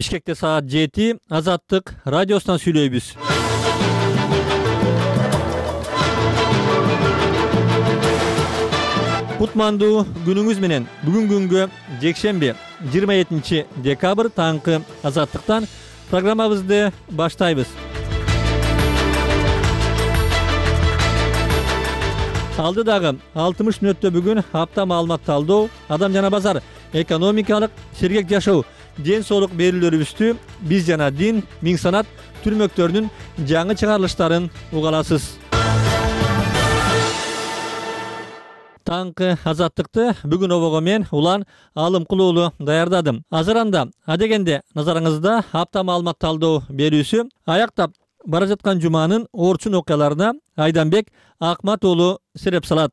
Бишкекте саат 7 Азаттык радиосунан сүйлөйбүз. Кутмандуу күнүңүз менен. Бүгүн күнгө жекшемби 27 декабрь таңкы Азаттыктан программабызды баштайбыз. Алдыдагы 60 мүнөттө бүгүн апта маалымат талдоо, адам жана базар, экономикалык, сергек жашоо, ден соолук берүүлөрүбүздү биз жана дин, миң санат түрмөктөрүнүн жаңы чыгарылыштарын угаласыз. Таңкы Азаттыкты бүгүн обого мен Улан Алымкулуулу даярдадым. Азыранда адегенде назарыңызда апта маалымат талдоо берүүсү аяктап бара жаткан жуманын орчун окуяларына Айданбек Акмат уулу сереп салат.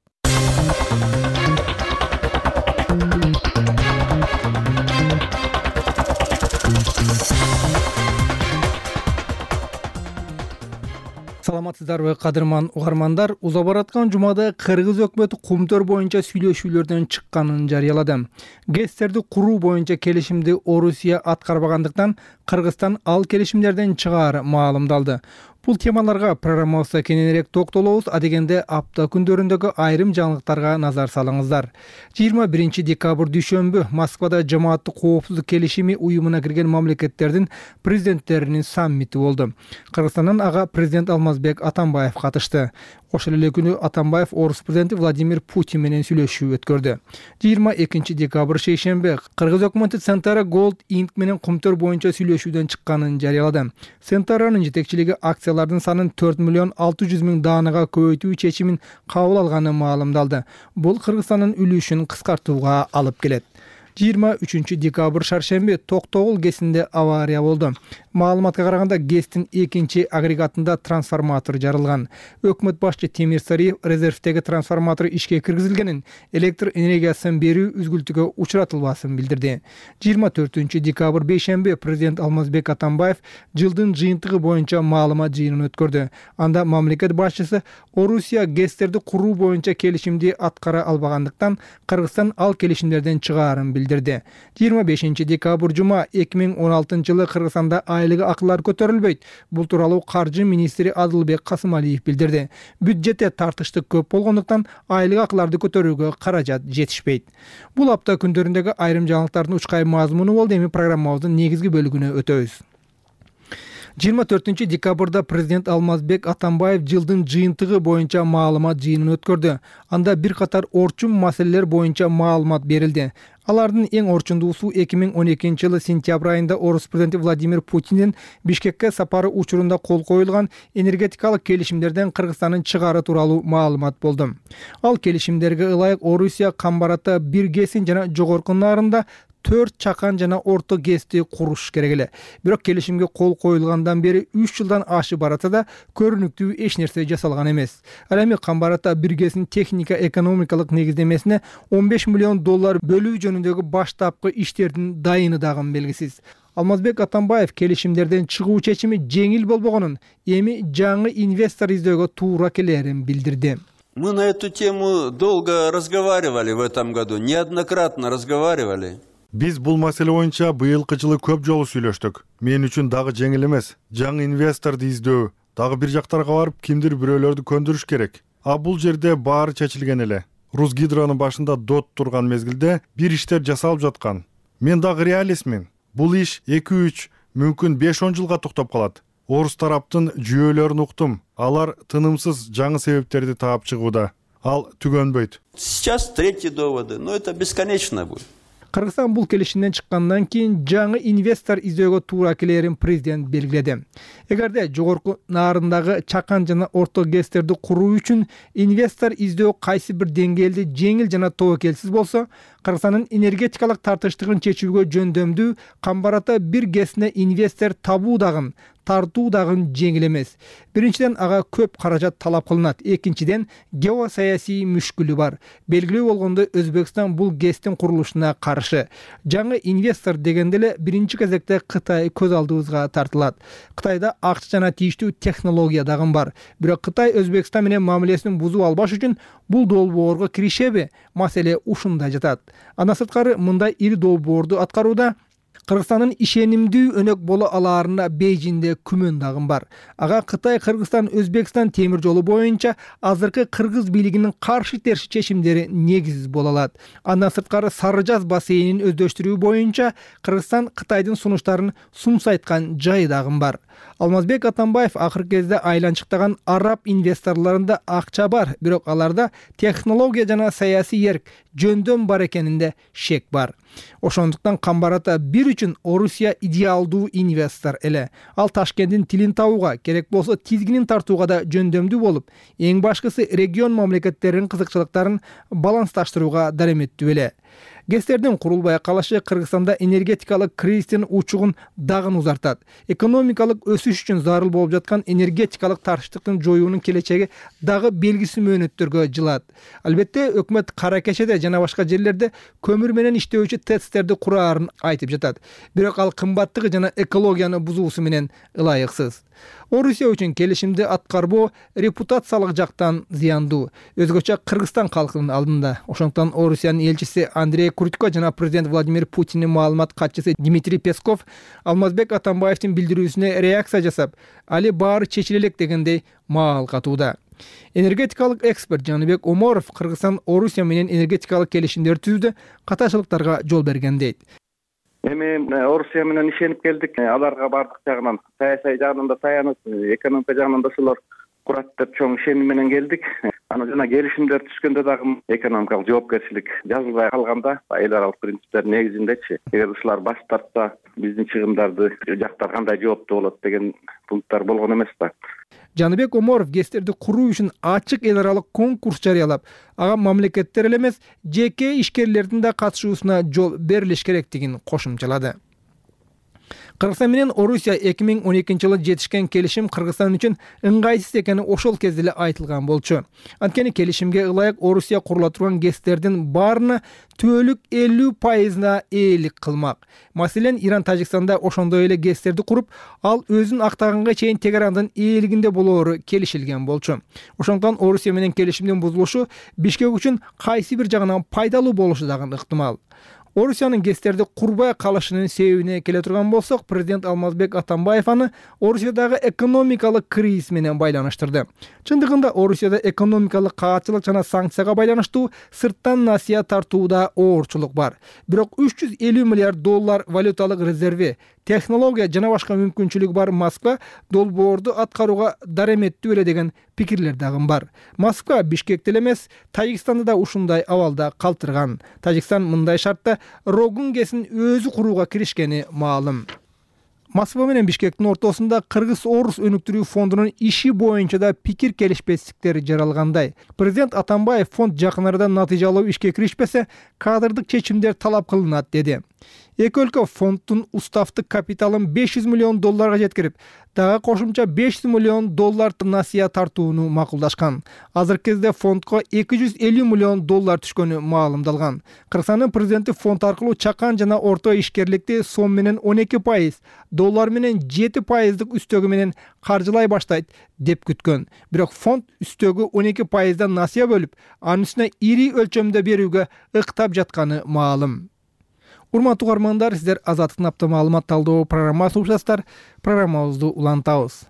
Саламатсыздарбы кадырман угармандар? Уза бараткан жумада Кыргыз өкмөтү Кумтөр боюнча сүйлөшүүлөрдөн чыкканын жарыялады. ГЭСтерди куруу боюнча келишимди Орусия аткарбагандыктан Кыргызстан ал келишимдерден чыгаар маалымдалды. Бул темаларга программабызда кененирээк токтолобуз. Адегенде апта күндөрүндөгү айрым жаңылыктарга назар салыңыздар. 21 декабрь дүйшөмбү Москвада жамааттык коопсуздук келишими уюмуна кирген мамлекеттердин президенттеринин саммити болду. Кыргызстандан ага президент Алмазбек Атамбаев катышты. Ошол эле күнү Атамбаев орус президенти Владимир Путин менен сүйлөшүү өткөрдү. 22 декабрь шейшемби Кыргыз өкмөтү Центара Gold Inc менен Кумтөр боюнча сүйлөшүүдөн чыкканын жарыялады. Центаранын жетекчилиги акциялардын санын 4,600,000 даанага көбөйтүү чечимин кабыл алганы маалымдалды. Бул Кыргызстандын үлүшүн кыскартууга алып келет. 23 декабрь шаршемби Токтогул ГЭСинде авария болду. Маалыматка караганда ГЭСтин экинчи агрегатында трансформатор жарылган. Өкмөт башчы Темир Сариев резервдеги трансформатор ишке киргизилгенин, электр энергиясын берүү үзгүлтүгө учуратылбасын билдирди. 24 декабрь бейшемби президент Алмазбек Атамбаев жылдын жыйынтыгы боюнча маалымат жыйынын өткөрдү. Анда мамлекет башчысы Орусия ГЭСтерди куруу боюнча келишимди аткара албагандыктан Кыргызстан ал келишимдерден чыгаарын билдирди. 25 декабрь жума 2016 жылы Кыргызстанда айлык акылар көтөрүлбөйт. Бул тууралуу каржы министри Адылбек Касымалиев билдирди. Бюджетте тартыштык көп болгондуктан айлык акыларды көтөрүүгө каражат жетишпейт. Бул апта күндөрүндөгү айрым жаңылыктардын учкай мазмуну болду. Эми программабыздын негизги бөлүгүнө өтөбүз. 24 декабрда президент Алмазбек Атамбаев жылдын жыйынтыгы боюнча маалымат жыйынын өткөрдү. Анда бир катар орчун маселелер боюнча маалымат берилди. Алардын эң орчундуусу 2012 жылы сентябрь айында орус президенти Владимир Путиндин Бишкекке сапары учурунда кол коюлган энергетикалык келишимдерден Кыргызстандын чыгаары тууралуу маалымат болду. Ал келишимдерге ылайык Орусия Камбарата 1 ГЭСин жана жогорку нарында 4 чакан жана орто ГЭСти куруш керек эле. Бирок келишимге кол коюлгандан бери 3 жылдан ашып баратса да көрүнүктүү эч нерсе жасалган эмес. Ал эми Камбарата 1 ГЭСин техника экономикалык негиздемесине $15 миллион бөлүү жөнүндөгү баштапкы иштердин дайыны дагы белгисиз. Алмазбек Атамбаев келишимдерден чыгуу чечими жеңил болбогонун, эми жаңы инвестор издөөгө туура келерин билдирди. Мы на эту тему долго разговаривали в этом году, неоднократно разговаривали. Биз бул маселе боюнча быйылкы жылы көп жолу сүйлөштүк. Мен үчүн дагы жеңил эмес. Жаңы инвесторду издөө, дагы бир жактарга барып кимдир бирөөлөрдү көндүрүш керек. А бул жерде баары чечилген эле. Русгидронун башында дот турган мезгилде бир иштер жасалып жаткан. Мен дагы реалистмин. Бул иш 2-3, мүмкүн 5-10 жылга токтоп калат. Орус тараптын жүйөлөрүн уктум. Алар тынымсыз жаңы себептерди таап чыгууда. Ал түгөнбөйт. Сейчас третий доводы, но это бесконечно будет. Кыргызстан бул келишимден чыккандан кийин жаңы инвестор издөөгө туура келерин президент белгиледи. Эгерде жогорку нарындагы чакан жана орто ГЭСтерди куруу үчүн инвестор издөө кайсы бир деңгээлде жеңил жана тобокелсиз болсо, Кыргызстандын энергетикалык тартыштыгын чечүүгө жөндөмдүү Камбарата 1 ГЭСине инвестор табуу дагы тартуу дагы жеңил эмес. Биринчиден ага көп каражат талап кылынат. Экинчиден геосаясий мүшкүлү бар. Белгилүү болгондой Өзбекстан бул ГЭСтин курулушуна каршы. Жаңы инвестор дегенде эле биринчи кезекте Кытай көз алдыбызга тартылат. Кытайда акча жана тийиштүү технология дагы бар. Бирок Кытай Өзбекстан менен мамилесин бузуп албаш үчүн бул долбоорго киришеби? Маселе ушунда жатат. Андан сырткары мындай ири долбоорду аткарууда Кыргызстандын ишенимдүү өнөк боло алаарына Бейжиңде күмөн дагы бар. Ага Кытай, Кыргызстан, Өзбекстан темир жолу боюнча азыркы кыргыз бийлигинин каршы терс чечимдери негизсиз боло алат. Андан сырткары Сары Жаз бассейнин өздөштүрүү боюнча Кыргызстан Кытайдын сунуштарын сумсайткан жайы дагы бар. Алмазбек Атамбаев акыркы кезде айланчыктаган араб инвесторлорунда акча бар, бирок аларда технология жана саясий эрк жөндөн бар экенинде шек бар. Ошондуктан Камбарата бир үчүн Орусия идеалдуу инвестор эле. Ал Ташкенттин тилин табууга, керек болсо тизгинин тартууга да жөндөмдүү болуп, эң башкысы регион мамлекеттеринин кызыкчылыктарын балансташтырууга дареметтүү эле. Гестердин курулбай калышы Кыргызстанда энергетикалык кризистин учугун дагы узартат. Экономикалык өсүш үчүн зарыл болуп жаткан энергетикалык тартыштыктын жоюунун келечеги дагы белгисиз мөөнөттөргө жылат. Албетте, өкмөт кара кечеде жана башка жерлерде көмүр менен иштөөчү ТЭЦтерди кураарын айтып жатат. Бирок ал кымбаттыгы жана экологияны бузуусу менен ылайыксыз. Орусия үчүн келишимди аткарбоо репутациялык жактан зыяндуу, өзгөчө Кыргызстан калкынын алдында. Ошондуктан Орусиянын элчиси Андрей Крутько жана президент Владимир Путиндин маалымат катчысы Дмитрий Песков Алмазбек Атамбаевдин билдирүүсүнө реакция жасап, али баары чечиле элек дегендей маал катууда. Энергетикалык эксперт Жаныбек Оморов Кыргызстан Орусия менен энергетикалык келишимдер түзүүдө катачылыктарга жол берген дейт. Эми Орусия менен ишенип келдик. Аларга бардык жагынан, саясий жагынан да таянып, экономика жагынан да ошолор курат деп чоң ишеним менен келдик. Аны жана келишимдер түшкөндө дагы экономикалык жоопкерчилик жазылбай калганда, эл аралык принциптер негизиндечи, эгер ушулар баш тартса, биздин чыгымдарды жактар кандай жооптуу болот деген пункттар болгон эмес да. Жаныбек Оморов гестерди куруу үчүн ачык эл аралык конкурс жарыялап, ага мамлекеттер эле эмес, жеке ишкерлердин да катышуусуна жол берилиш керектигин кошумчалады. Кыргызстан менен Орусия 2012-жылы жетишкен келишим Кыргызстан үчүн ыңгайсыз экени ошол кезде эле айтылган болчу. Анткени келишимге ылайык Орусия курула турган гестердин баарына түбөлүк 50%на ээлик кылмак. Маселен, Иран Тажикстанда ошондой эле гестерди куруп, ал өзүн актаганга чейин Тегерандын ээлигинде болоору келишилген болчу. Ошондуктан Орусия менен келишимдин бузулушу Бишкек үчүн кайсы бир жагынан пайдалуу болушу дагы ыктымал. Орусиянын гестерди курбай калышынын себебине келе турган болсок, президент Алмазбек Атамбаев аны Орусиядагы экономикалык кризис менен байланыштырды. Чындыгында Орусияда экономикалык каатчылык жана санкцияга байланыштуу сырттан насыя тартууда оорчулук бар. Бирок $350 миллиард валюталык резерви, технология жана башка мүмкүнчүлүгү бар Москва долбоорду аткарууга дареметтүү эле деген пикирлер дагы бар. Москва Бишкекте эле эмес, Тажикстанды да ушундай абалда калтырган. Тажикстан мындай шартта Рогун ГЭСин өзү курууга киришкени маалым. Москва менен Бишкектин ортосунда Кыргыз-Орус өнүктүрүү фондунун иши боюнча да пикир келишпестиктер жаралгандай. Президент Атамбаев фонд жакын арада натыйжалуу ишке киришпесе, кадрдык чечимдер талап кылынат деди. Эки өлкө фонддун уставдык капиталын $500 миллион жеткирип, дагы кошумча $500 миллион насыя тартууну макулдашкан. Азыркы кезде фондко $250 миллион түшкөнү маалымдалган. Кыргызстандын президенти фонд аркылуу чакан жана орто ишкерликти сом менен 12%, доллар менен 7%дык үстөгү менен каржылай баштайт деп күткөн. Бирок фонд үстөгү 12%дан насыя бөлүп, анын үстүнө ири өлчөмдө берүүгө ыктап жатканы маалым. Урматтуу угармандар, сиздер Азаттыктын апта маалымат талдоо программасын угуп жатасыздар. Программабызды улантабыз.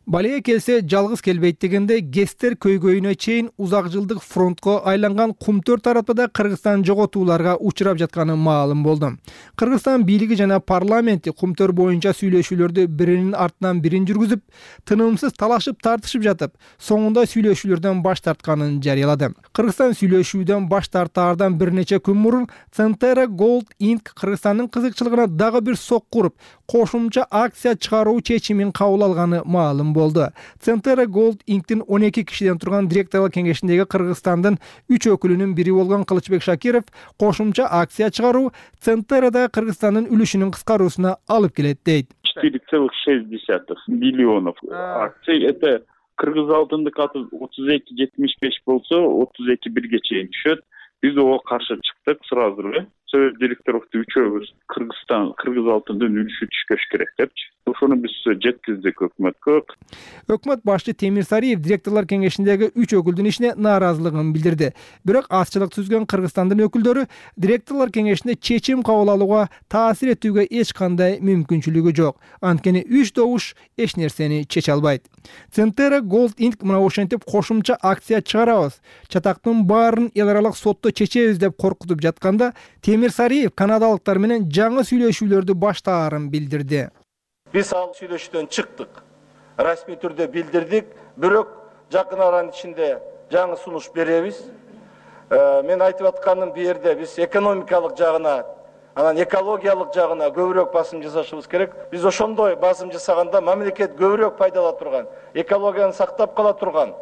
Балия келсе жалгыз келбейт дегенде гестер көйгөйүнө чейин узак жылдык фронтко айланган Кумтөр тараптада Кыргызстан жоготууларга учурап жатканы маалым болду. Кыргызстан бийлиги жана парламенти Кумтөр боюнча сүйлөшүүлөрдү биринин артынан бирин жүргүзүп, тынымсыз талашып тартышып жатып, соңунда сүйлөшүүлөрдөн баш тартканын жарыялады. Кыргызстан сүйлөшүүдөн баш тартаардан бир нече күн мурун Centera Gold Inc. Кыргызстандын кызыкчылыгына дагы бир сок куруп, кошумча акция чыгаруу чечимин кабыл алганы маалым болду. Centera Gold Inc.'тин 12 кишиден турган директорлор кеңешиндеги Кыргызстандын 3 өкүлүнүн бири болгон Кылычбек Шакиров кошумча акция чыгаруу Centera'да Кыргызстандын үлүшүнүн кыскаруусуна алып келет дейт. 4,6 миллионов акций. Это Кыргыз алтындык аты 32,75 болсо 32,1 чейин түшөт. Биз ого каршы чыктык сразу эле. Сөз директорлукту үчөөбүз Кыргыз алтындын үлүшү түшпөш керек депчи. ошону биз жеткиздик өкмөткө. Өкмөт башчы Темир Сариев директорлор кеңешиндеги 3 өкүлдүн ишине нааразылыгын билдирди. Бирок азчылык түзгөн Кыргызстандын өкүлдөрү директорлор кеңешинде чечим кабыл алууга таасир этүүгө эч кандай мүмкүнчүлүгү жок. Анткени 3 добуш эч нерсени чече албайт. Centera Gold Inc мына ошентип кошумча акция чыгарабыз, чатактын баарын эл аралык сотто чечебиз деп коркутуп жатканда Темир Сариев канадалыктар менен жаңы сүйлөшүүлөрдү баштаарын билдирди. Биз ал сүйлөшүүдөн чыктык. Расмий түрдө билдирдик, бирок жакын аранын ичинде жаңы сунуш беребиз. Мен айтып атканым бу жерде биз экономикалык жагына, анан экологиялык жагына көбүрөөк басым жасашыбыз керек. Биз ошондой басым жасаганда мамлекет көбүрөөк пайда ала турган, экологияны сактап кала турган,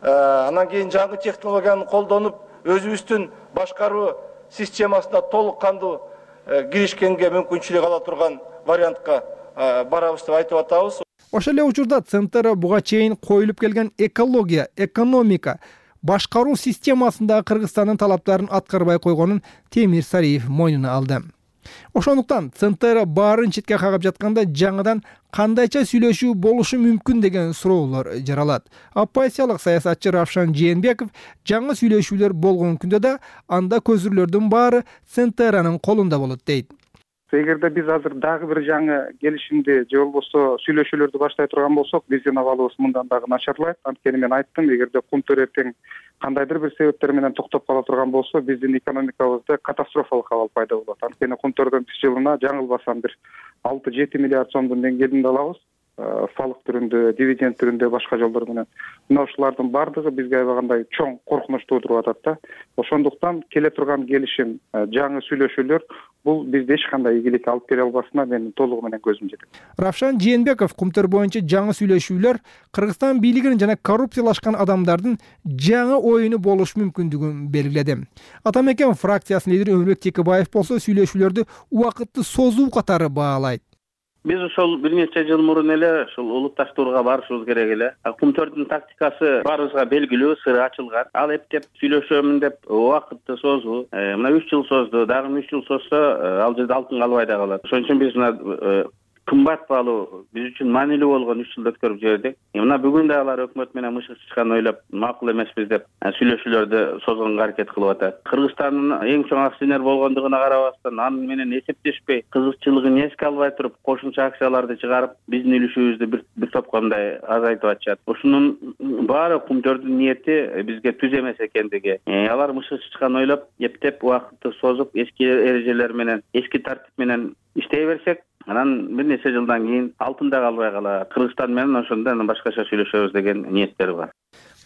анан кийин жаңы технологияны колдонуп, өзүбүздүн башкаруу системасына толук кандуу киришкенге мүмкүнчүлүк ала турган вариантка барабыз деп айтып атабыз. Ошол эле учурда Centera буга чейин коюлуп келген экология, экономика, башкаруу системасындагы Кыргызстандын талаптарын аткарбай койгонун Темир Сариев мойнуна алды. Ошондуктан Centera баарын четке кагып жатканда жаңыдан кандайча сүйлөшүү болушу мүмкүн деген суроолор жаралат. Оппозициялык саясатчы Равшан Жээнбеков жаңы сүйлөшүүлөр болгон күндө да анда көзүрлөрдүн баары Centera'нын колунда болот дейт. Эгерде биз азыр дагы бир жаңы келишимди же болбосо сүйлөшүүлөрдү баштай турган болсок, биздин абалыбыз мындан дагы начарлайт. Анткени мен айттым, эгерде Кумтөр эртең кандайдыр бир себептер менен токтоп кала турган болсо, биздин экономикабызда катастрофалык абал пайда болот. Анткени Кумтөрдөн биз жылына жаңылбасам бир 6-7 миллиард сомдун деңгээлинде алабыз. Салык түрүндө, дивиденд түрүндө, башка жолдор менен. Мына ушулардын бардыгы бизге аябагандай чоң коркунуч туудуруп атат да. Ошондуктан келе турган келишим, жаңы сүйлөшүүлөр бул бизде эч кандай ийгилик алып келе албасына менин толугу менен көзүм жетет. Равшан Жээнбеков Кумтөр боюнча жаңы сүйлөшүүлөр Кыргызстан бийлигинин жана коррупциялашкан адамдардын жаңы оюну болуш мүмкүндүгүн белгиледи. Атамекен фракциясынын лидери Өмүрбек Текебаев болсо сүйлөшүүлөрдү убакытты созуу катары баалайт. Биз ошол бир нече жыл мурун эле ушул улутташтырууга барышыбыз керек эле. Кумтөрдүн тактикасы баарыбызга белгилүү, сыры ачылган. Ал эптеп сүйлөшөмүн деп убакытты созуу. Мына 3 жыл созду, дагы 3 жыл созсо ал жерде алтын калбай да калат. Ошон үчүн биз мына кымбат баалуу, биз үчүн маанилүү болгон 3 жылды өткөрүп жибердик. Мына бүгүн да алар өкмөт менен мышык чычкан ойлоп макул эмеспиз деп сүйлөшүүлөрдү созгонго аракет кылып атат. Кыргызстандын эң чоң акционер болгондугуна карабастан, аны менен эсептешпей, кызыкчылыгын эске албай туруп, кошумча акцияларды чыгарып, биздин үлүшүбүздү бир топко мындай азайтып атышат. Ошонун баары Кумтөрдүн ниети бизге түз эмес экендиги. Алар мышык чычкан ойлоп, эптеп убакытты созуп, эски эрежелер менен, эски тартип менен иштей берсек, анан бир нече жылдан кийин алтын да калбай калат. Кыргызстан менен ошондо башкача сүйлөшөбүз деген ниеттер бар.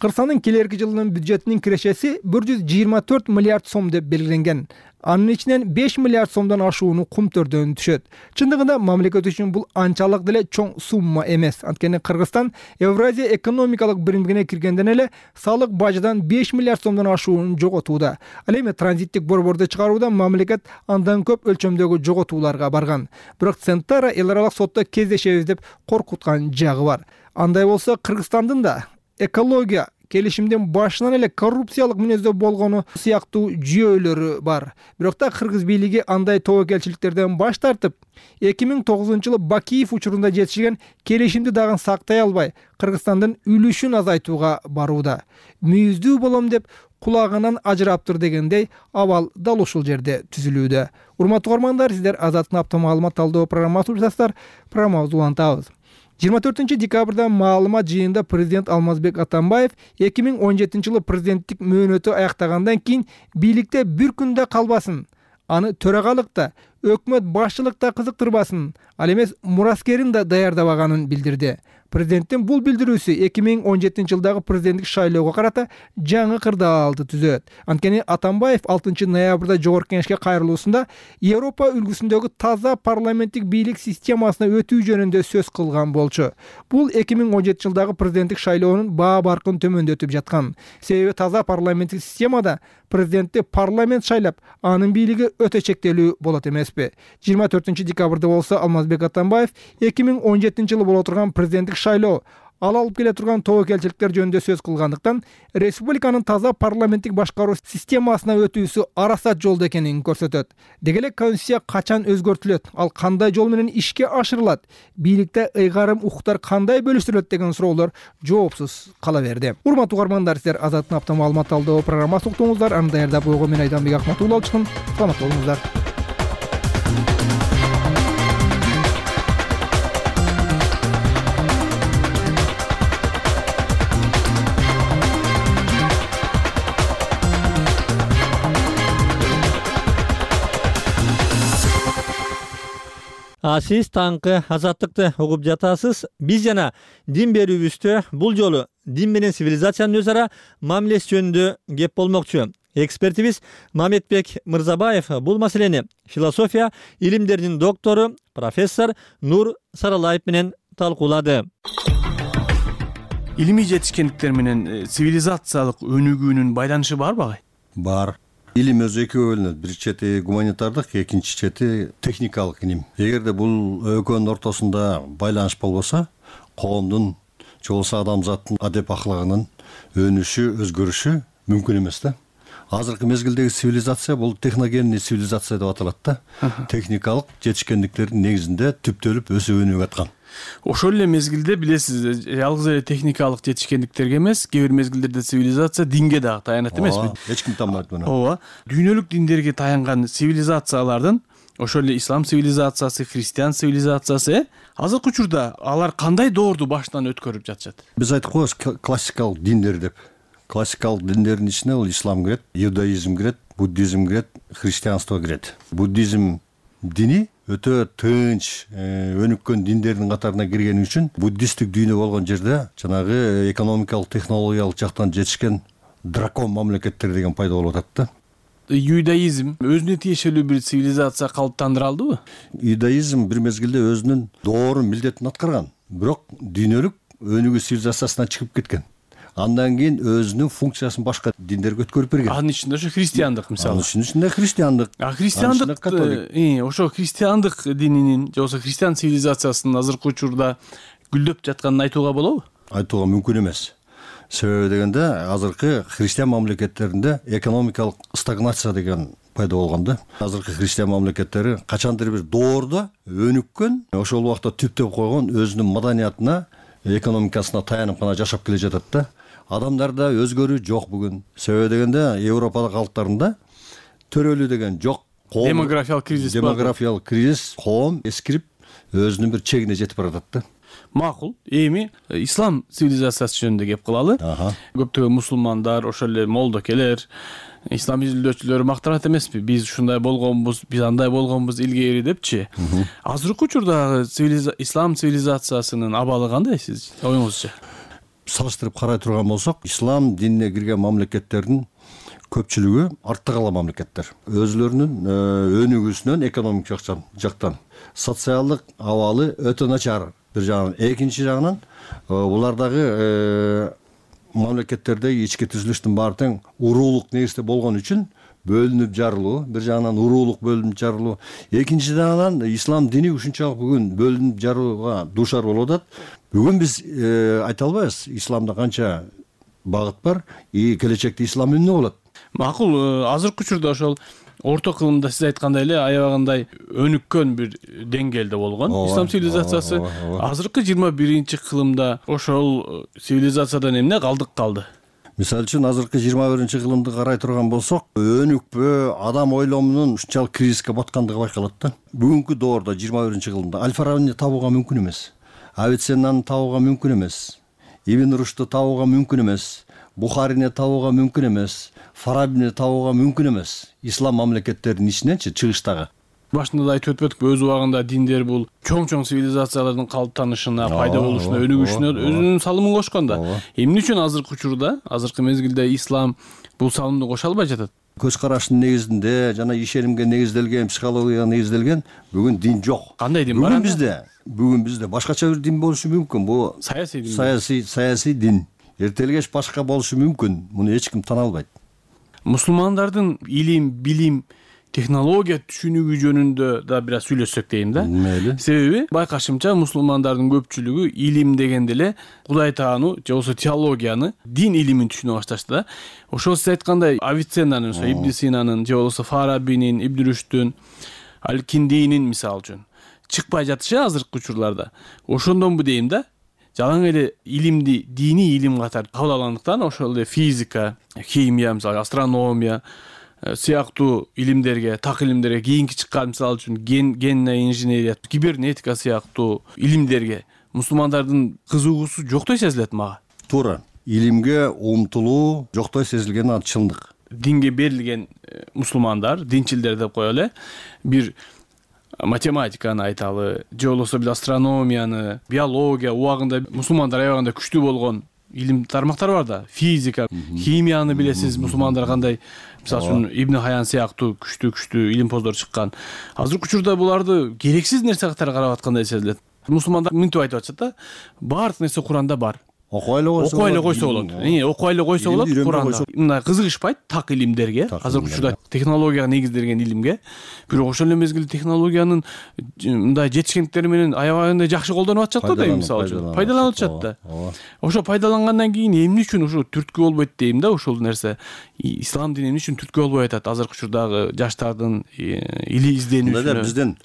Кыргызстандын келерки жылынын бюджетинин кирешеси 124 миллиард сом деп белгиленген. Анын ичинен 5 миллиард сомдон ашууну Кумтөрдөн түшөт. Чындыгында мамлекет үчүн бул анчалык деле чоң сумма эмес. Анткени Кыргызстан Евразия экономикалык биримдигине киргенден эле салык бажадан 5 миллиард сомдон ашуунун жоготууда. Ал эми транзиттик борборду чыгарууда мамлекет андан көп өлчөмдөгү жоготууларга барган. Бирок Centera эл аралык сотто кездешебиз деп коркуткан жагы бар. Андай болсо Кыргызстандын да экология келишимдин башынан эле коррупциялык мүнөздө болгону сыяктуу жүйөлөрү бар. Бирок да кыргыз бийлиги андай тобокелчиликтерден баш тартып, 2009-жылы Бакиев учурунда жетишкен келишимди дагы сактай албай, Кыргызстандын үлүшүн азайтууга барууда. Мүйүздүү болом деп кулагынан ажыраптыр дегендей абал дал ушул жерде түзүлүүдө. Урматтуу угармандар, сиздер Азаттын апта маалымат талдоо программасын уктасыздар. Программабызды улантабыз. 24 декабрда маалымат жыйынында президент Алмазбек Атамбаев 2017-жылы президенттик мөөнөтү аяктагандан кийин бийликте бир күндө калбасын, аны төрагалыкта, өкмөт башчылыкта кызыктырбасын, ал эмес мураскерин да даярдабаганын билдирди. Президенттин бул билдирүүсү 2017-жылдагы президенттик шайлоого карата жаңы кырдаалды түзөт. Анткени Атамбаев 6 ноябрда жогорку кеңешке кайрылуусунда Европа үлгүсүндөгү таза парламенттик бийлик системасына өтүү жөнүндө сөз кылган болчу. Бул 2017-жылдагы президенттик шайлоонун баа баркын төмөндөтүп жаткан. Себеби таза парламенттик системада президентти парламент шайлап, анын бийлиги өтө чектелүү болот эмеспи. 24 декабрда болсо Алмазбек Атамбаев 2017-жылы боло турган президенттик шайлоо ал алып келе турган тобокелчиликтер жөнүндө сөз кылгандыктан республиканын таза парламенттик башкаруу системасына өтүүсү арасат жолдо экенин көрсөтөт. Деги эле конституция качан өзгөртүлөт, ал кандай жол менен ишке ашырылат, бийликте ыйгарым укуктар кандай бөлүштүрүлөт деген суроолор жоопсуз кала берди. Урматтуу угармандар, сиздер Азаттын апта маалымат талдоо программасын уктуңуздар. Аны даярдап койгон мен Айданбек Акматулла алчыкын. Саламат болуңуздар. Сиз таңкы азаттыкты угуп жатасыз. Биз жана дин берүүбүздө бул жолу дин менен цивилизациянын өз ара мамилеси жөнүндө кеп болмокчу. Экспертибиз Мамедбек Мырзабаев бул маселени философия илимдеринин доктору профессор Нур Саралаев менен талкуулады. Илимий жетишкендиктер менен цивилизациялык өнүгүүнүн байланышы барбы агай? Бар. Илим өзү экөө бөлүнөт. Бир чети гуманитардык, экинчи чети техникалык илим. Эгерде бул экөөнүн ортосунда байланыш болбосо, коомдун же болбосо адамзаттын адеп аклагынын өнүшү, өзгөрүшү мүмкүн эмес да. Азыркы мезгилдеги цивилизация бул техногенный цивилизация деп аталат да. Техникалык жетишкендиктердин негизинде түптөлүп өсүп өнүгүп аткан. Ошол эле мезгилде билесиз, жалгыз эле техникалык жетишкендиктерге эмес, кээ бир мезгилдерде цивилизация динге дагы таянат эмеспи? Эч ким танбайт муну. Ооба. Дүйнөлүк диндерге таянган цивилизациялардын, ошол эле ислам цивилизациясы, христиан цивилизациясы, азыркы учурда алар кандай доорду баштан өткөрүп жатышат? Биз айтып коебуз классикалык диндер деп. Классикалык диндердин ичине бул ислам кирет, иудаизм кирет, буддизм кирет, христианство кирет. Буддизм дини өтө тынч, өнүккөн диндердин катарына киргени үчүн буддисттик дүйнө болгон жерде жанагы экономикалык, технологиялык жактан жетишкен дракон мамлекеттер деген пайда болуп атат да. Иудаизм өзүнө тиешелүү бир цивилизация калыптандыра алдыбы? Иудаизм бир мезгилде өзүнүн доорун, милдетин аткарган, бирок дүйнөлүк өнүгүү цивилизациясынан чыгып кеткен. Андан кийин өзүнүн функциясын башка диндерге өткөрүп берген. Анын ичинде ошо христиандык мисалы. Анын ичинде христиандык. Христиандык, ошо христиандык дининин же болбосо христиан цивилизациясынын азыркы учурда гүлдөп жатканын айтууга болобу? Айтууга мүмкүн эмес. Себеби дегенде азыркы христиан мамлекеттеринде экономикалык стагнация деген пайда болгон да. Азыркы христиан мамлекеттери качандыр бир доордо өнүккөн, ошол убакта түптөп койгон өзүнүн маданиятына, экономикасына таянып гана жашап келе жатат да. Адамдарда өзгөрүү жок бүгүн. Себеби дегенде Европа калктарында төрөлүү деген жок. Демографиялык кризис бар. Демографиялык кризис, коом эскирип өзүнүн бир чегине жетип баратат да. Макул. Эми ислам цивилизациясы жөнүндө кеп кылалы. Көптөгөн мусулмандар, ошол эле молдокелер, ислам изилдөөчүлөрү мактанат эмеспи? Биз ушундай болгонбуз, биз андай болгонбуз илгери депчи. Азыркы учурда ислам цивилизациясынын абалы кандай сиз оюңузча? Салыштырып карай турган болсок, ислам динине кирген мамлекеттердин көпчүлүгү артта калган мамлекеттер. Өзлөрүнүн өнүгүүсүнөн экономикалык жактан социалдык абалы өтө начар бир жагынан. Экинчи жагынан булардагы мамлекеттерде ички түзүлүштүн баары тең уруулук негизде болгон үчүн бөлүнүп жарылуу, бир жагынан уруулук бөлүнүп жарылуу. Экинчи жагынан ислам дини ушунчалык бүгүн бөлүнүп жарууга дуушар болуп атат. Бүгүн биз айта албайбыз исламда канча багыт бар и келечекте ислам эмне болот. Макул, азыркы учурда ошол орто кылымда сиз айткандай эле аябагандай өнүккөн бир деңгээлде болгон ислам цивилизациясы. Азыркы 21-кылымда ошол цивилизациядан эмне калдык калды? Мисалы үчүн азыркы 21-кылымды карай турган болсок, өнүкпө, адам ойломунун ушунчалык кризиске баткандыгы байкалат да. Бүгүнкү доордо 21-кылымда Аль-Фарабини табууга мүмкүн эмес. Авиценнаны табууга мүмкүн эмес. Ибн Рушдты табууга мүмкүн эмес. Бухарини табууга мүмкүн эмес. Фарабини табууга мүмкүн эмес. Ислам мамлекеттеринин ичиненчи чыгыштагы. Башында да айтып өтпөдүкпү, өз убагында диндер бул чоң цивилизациялардын калыптанышына, пайда болушуна, өнүгүшүнө өзүнүн салымын кошкон да. Эмне үчүн азыркы учурда, азыркы мезгилде ислам бул салымды коша албай жатат? Көз караштын негизинде жана ишенимге негизделген, психологияга негизделген бүгүн дин жок. Кандай дин бар? Бүгүн бизде башкача бир дин болушу мүмкүн. Бул саясий дин. Саясий дин. Эртелгеч башка болушу мүмкүн. Муну эч ким тана албайт. Мусулмандардын илим, билим технология түшүнүгү жөнүндө да бир аз сүйлөшсөк дейм да. Мейли. Себеби байкашымча мусулмандардын көпчүлүгү илим дегенде эле Кудай таануу же болбосо теологияны, дин илимин түшүнө башташты да. Ошол сиз айткандай Авиценнанын, Ибн Синанын же болбосо Фарабинин, Ибн Рүштүн, Аль-Киндинин мисалы үчүн чыкпай жатышы азыркы учурларда. Ошондонбу дейм да. Жалаң эле илимди диний илим катары кабыл алгандыктан ошол эле физика, химия, мисалы астрономия сыяктуу илимдерге, так илимдерге, кийинки чыккан мисалы үчүн генная инженерия, кибернетика сыяктуу илимдерге мусулмандардын кызыгуусу жоктой сезилет мага. Туура. Илимге умтулуу жоктой сезилген ал чындык. Динге берилген мусулмандар, динчилдер деп коелу, бир математиканы айталы, же болбосо бир астрономияны, биология убагында мусулмандар аябагында күчтүү болгон илим тармактар бар да. Физика, химияны билесиз, мусулмандар кандай, мисалы үчүн Ибн Хаян сыяктуу күчтүү илимпоздор чыккан. Азыркы учурда буларды керексиз нерсе катары карап аткандай сезилет. Мусулмандар мынтип айтып атышат да, баардык нерсе Куранда бар. Окуй эле койсо болот. Окуй эле койсо болот Куранда. Мындай кызыгышпайт так илимдерге, азыркы учурда технологияга негизделген илимге. Бирок ошол эле мезгилде технологиянын мындай жетишкендиктери менен аябагында жакшы колдонуп атышат го дейм, мисалы үчүн. Пайдаланып атышат да. Ошо пайдалангандан кийин эмне үчүн ошо түрткү болбойт дейм да, ошол нерсе. Ислам дини эмне үчүн түрткү болбой атат азыркы учурдагы жаштардын или изденүүсүнө? Бизден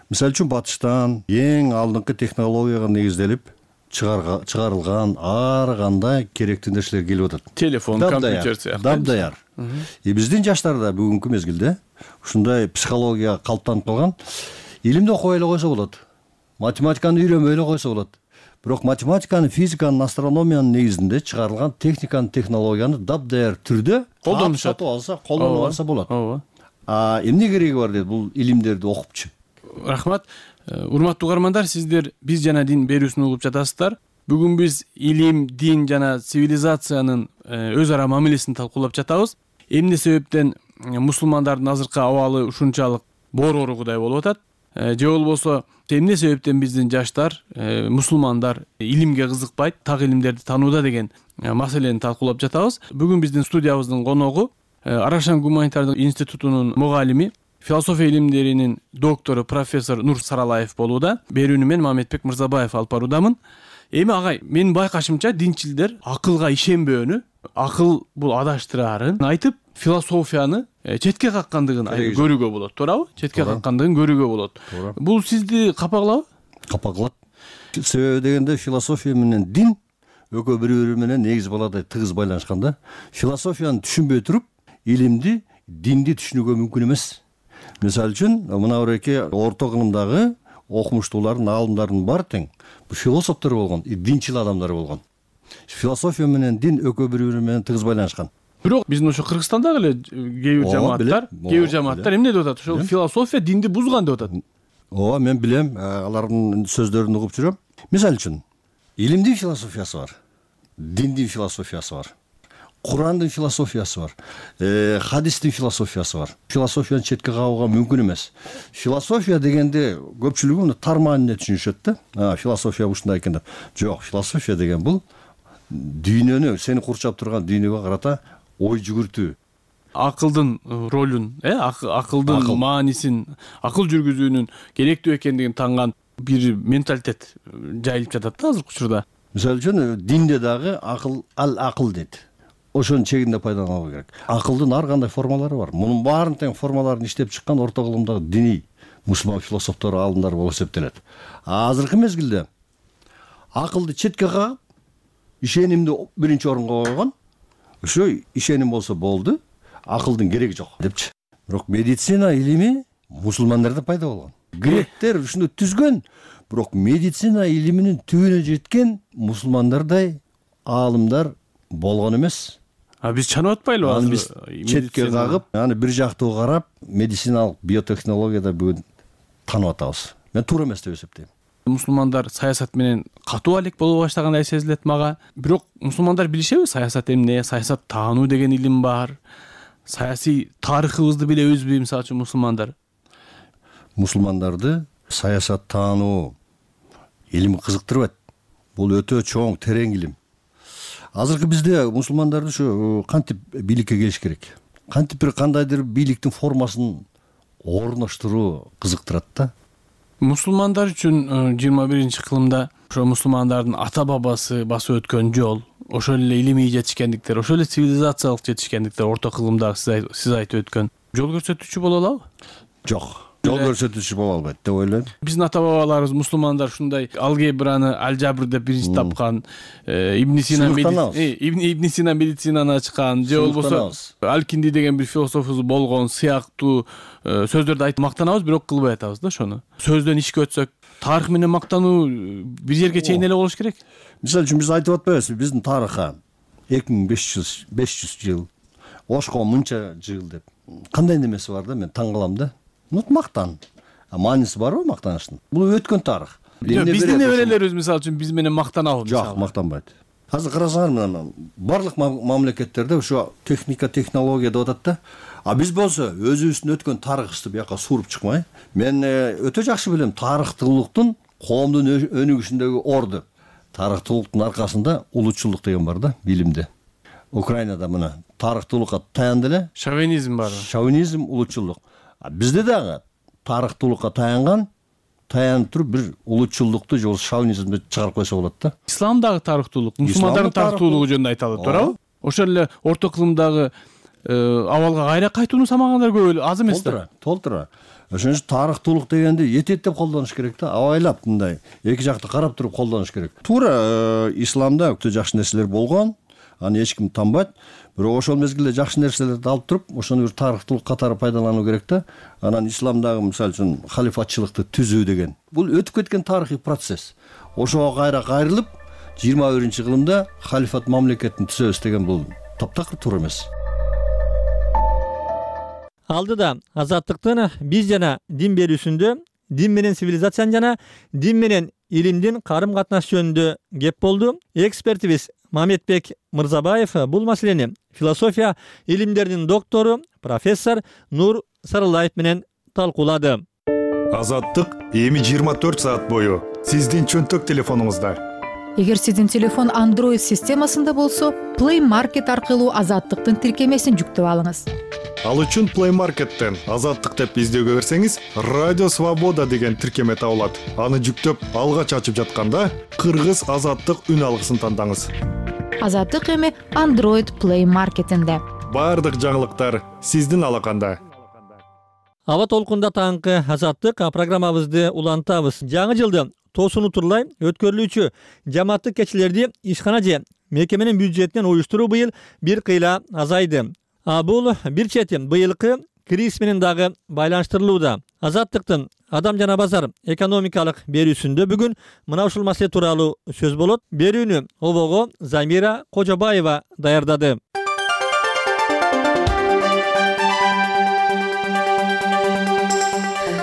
мисалы үчүн батыштан эң алдыңкы технологияга негизделип чыгарылган ар кандай керектүү нерселер келип атат. Телефон, компьютер сыяктуу. Дабдаяр. Биздин жаштар да бүгүнкү мезгилде ушундай психология калыптанып калган. Илимди окуй эле койсо болот. Математиканы үйрөнбөй эле койсо болот. Бирок математиканы, физиканы, астрономиянын негизинде чыгарылган техниканы, технологияны дабдаяр түрдө колдонуп алса болот. Эмне кереги бар дейт бул илимдерди окупчу? Рахмат. Урматтуу угармандар, сиздер биз жана дин берүүсүн угуп жатасыздар. Бүгүн биз илим, дин жана цивилизациянын өз ара мамилесин талкуулап жатабыз. Эмне себептен мусулмандардын азыркы абалы ушунчалык боророгудай болуп атат? Же болбосо эмне себептен биздин жаштар, мусулмандар илимге кызыкпайт, так илимдерди таанууда деген маселени талкуулап жатабыз. Бүгүн биздин студиябыздын коногу Арашан гуманитардык институтунун мугалими, философия илимдеринин доктору профессор Нур Саралаев болууда. Берүүнү мен Мамедбек Мырзабаев алып баруудамын. Эми агай, менин байкашымча динчилдер акылга ишенбөөнү, акыл бул адаштыраарын айтып, философияны четке каккандыгын көрүүгө болот, туурабы? Четке каккандыгын көрүүгө болот. Бул сизди капа кылабы? Капа кылат. Себеби дегенде философия менен дин экөө бири-бири менен негиз баладай тыгыз байланышкан да. Философияны түшүнбөй туруп, илимди, динди түшүнүүгө мүмкүн эмес. Мисалы үчүн, мына бирөйкө орто кылымдагы окумуштуулардын, аалымдардын баары тең бул философтор болгон, динчил адамдар болгон. Философия менен дин экөө бири-бири менен тыгыз байланышкан. Бирок биздин ошо Кыргызстандагы эле кээ бир жамааттар эмне деп атат? Ошол философия динди бузган деп атат. Ооба, мен билем, алардын сөздөрүн угуп жүрөм. Мисалы үчүн, илимдин философиясы бар, диндин философиясы бар. Курандын философиясы бар, хадистин философиясы бар. Философияны четке кагууга мүмкүн эмес. Философия дегенде көпчүлүгү муну тар мааниде түшүнүшөт да. Философия ушундай экен деп. Жок, философия деген бул дүйнөнү, сени курчап турган дүйнөгө карата ой жүгүртүү. Акылдын ролун, акылдын маанисин, акыл жүргүзүүнүн керектүү экендигин танган бир менталитет жайылып жатат да азыркы учурда. Мисалы үчүн динде дагы акыл дейт. Ошонун чегинде пайдалануу керек. Акылдын ар кандай формалары бар. Мунун баарын тең формаларын иштеп чыккан орто кылымдагы диний мусулман философтор, аалымдар болуп эсептелет. Азыркы мезгилде акылды четке кагып, ишенимди биринчи орунга койгон. Ошо ишеним болсо болду, акылдын кереги жок депчи. Бирок медицина илими мусулмандарда пайда болгон. Гректер ушуну түзгөн, бирок медицина илиминин түбүнө жеткен мусулмандардай аалымдар болгон эмес. Биз чанып атпайлыбы? Аны биз четке кагып, аны бир жактуу карап, медициналык биотехнологияда бүгүн танып атабыз. Мен туура эмес деп эсептейм. Мусулмандар саясат менен катуу алек боло баштагандай сезилет мага. Бирок мусулмандар билишеби саясат эмне? Саясат таануу деген илим бар. Саясий тарыхыбызды билебизби, мисалы үчүн мусулмандар? Мусулмандарды саясат таануу илими кызыктырбайт. Бул өтө чоң, терең илим. Азыркы бизде мусулмандарды ушу кантип бийликке келиш керек? кантип бир кандайдыр бийликтин формасын орноштуруу кызыктырат да. Мусулмандар үчүн 21 кылымда ошо мусулмандардын ата бабасы басып өткөн жол, ошол эле илимий жетишкендиктер, ошол эле цивилизациялык жетишкендиктер орто кылымда сиз айтып өткөн жол көрсөтүүчү боло алабы? Жок, жол көрсөтүүчү боло албайт деп ойлойм. Биздин ата бабаларыбыз мусулмандар ушундай алгебраны алжабр деп биринчи тапкан, Ибн Сина медицинаны ачкан, же болбосо Алкинди деген бир философубуз болгон сыяктуу сөздөрдү айтып мактанабыз, бирок кылбай атабыз да ошону. Сөздөн ишке өтсөк, тарых менен мактануу бир жерге чейин эле болуш керек. Мисалы үчүн биз айтып атпайбызбы, биздин тарыхка 2500 жыл, Ошко мынча жыл деп. Кандай немеси бар да, мен таң калам да. Мактан. Мааниси барбы мактаныштын? Бул өткөн тарых. Биздин неберелерибиз мисалы үчүн биз менен мактанабы? Жок, мактанбайт. Азыр карасаңар, мына барлык мамлекеттерде ошо техника, технология деп атат да. А биз болсо өзүбүздүн өткөн тарыхыбызды бияка суруп чыкмай, мен өтө жакшы билем тарыхтуулуктун коомдун өнүгүшүндөгү орду. Тарыхтуулуктун аркасында улутчулдук деген бар да, билимде. Украинада мына тарыхтуулукка таянды эле. Шовинизм бар. Шовинизм, улутчулдук. А бизде дагы тарыхтуулукка таянып туруп бир улутчулдукту же шовинизмди чыгарып койсо болот да. Ислам дагы тарыхтуулук, мусулмандардын тарыхтуулугу жөнүндө айтылат, туурабы? Ошол эле орто кылымдагы абалга кайра кайтууну самагандар көп эле, аз эмес да. Толтура. Ошон үчүн тарыхтуулук дегенди этиеттеп колдонуш керек да, абайлап мындай эки жакты карап туруп колдонуш керек. Туура исламда өтө жакшы нерселер болгон, аны эч ким танбайт. Бирок ошол мезгилде жакшы нерселерди алып туруп, ошону бир тарыхтуулук катары пайдалануу керек да. Анан исламдагы мисалы үчүн халифатчылыкты түзүү деген бул өтүп кеткен тарыхый процесс. Ошого кайра кайрылып 21-кылымда халифат мамлекетин түзөбүз деген бул таптакыр туура эмес. Алдыда азаттыктын биз жана дин берүүсүндө, дин менен цивилизациянын жана дин менен илимдин карым катнаш жөнүндө кеп болду. Экспертибиз Мамедбек Мырзабаев бул маселени философия илимдеринин доктору профессор Нур Сарылаев менен талкуулады. Азаттык эми 24 саат бою сиздин чөнтөк телефонуңузда. Эгер сиздин телефон Android системасында болсо, Play Market аркылуу азаттыктын тиркемесин жүктөп алыңыз. Ал үчүн Play Market'тен азаттык деп издөөгө берсеңиз, Радио Свобода деген тиркеме табылат. Аны жүктөп алгач ачып жатканда кыргыз азаттык үн алгысын тандаңыз. Азаттык эми Android Play Market'инде. Бардык жаңылыктар сиздин алаканда. Аба толкунда таңкы азаттык программабызды улантабыз. Жаңы жылды тоосуну турлай өткөрүлүүчү жамааттык кечилерди ишкана же мекеменин бюджетинен уюштуруу быйыл бир кыйла азайды. Бул бир чети быйылкы кризис менен дагы байланыштырылууда. Азаттыктын адам жана базар экономикалык берүүсүндө бүгүн мына ушул маселе тууралуу сөз болот. Берүүнү обого Замира Кожобаева даярдады.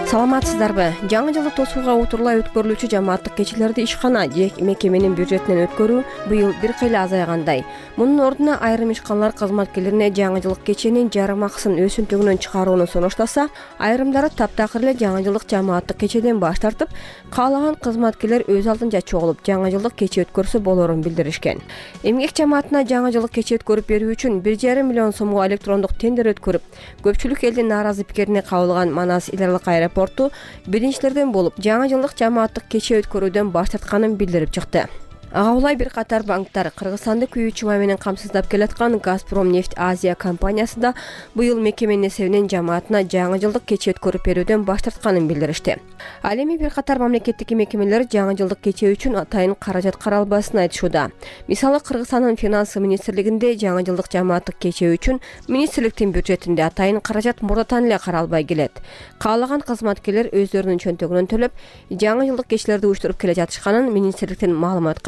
Саламатсыздарбы? Жаңы жылды тосууга утурлай өткөрүлүүчү жамааттык кечилерди ишкана же мекеменин бюджетинен өткөрүү быйыл бир кыйла азайгандай. Мунун ордуна айрым ишканалар кызматкерлерине жаңы жылдык кеченин жарым акысын өсүнтүгүнөн чыгарууну сунуштаса, айрымдары таптакыр эле жаңы жылдык жамааттык кечеден баш тартып, каалаган кызматкерлер өз алдынча чогулуп жаңы жылдык кече өткөрсө болорун билдиришкен. Эмгек жамаатына жаңы жылдык кече өткөрүп берүү үчүн 1,5 миллион сомго электрондук тендер өткөрүп, көпчүлүк элдин нааразы пикирине кабылган Манас Иларлык аэропорту биринчилерден болуп жаңы жылдык жамааттык кече өткөрүүдөн баш тартканын билдирип чыкты. Ага улай бир катар банктар Кыргызстанды күйүүчү май менен камсыздап келаткан Газпром нефть Азия компаниясы да быйыл мекеменин эсебинен жамаатына жаңы жылдык кече өткөрүп берүүдөн баш тартканын билдиришти. Ал эми бир катар мамлекеттик мекемелер жаңы жылдык кече үчүн атайын каражат каралбасын айтышууда. Мисалы Кыргызстандын финансы министрлигинде жаңы жылдык жамааттык кече үчүн министрликтин бюджетинде атайын каражат мурдатан эле каралбай келет. Каалаган кызматкерлер өздөрүнүн чөнтөгүнөн төлөп, жаңы жылдык кечелерди уюштуруп келе жатышканын министрликтин маалымат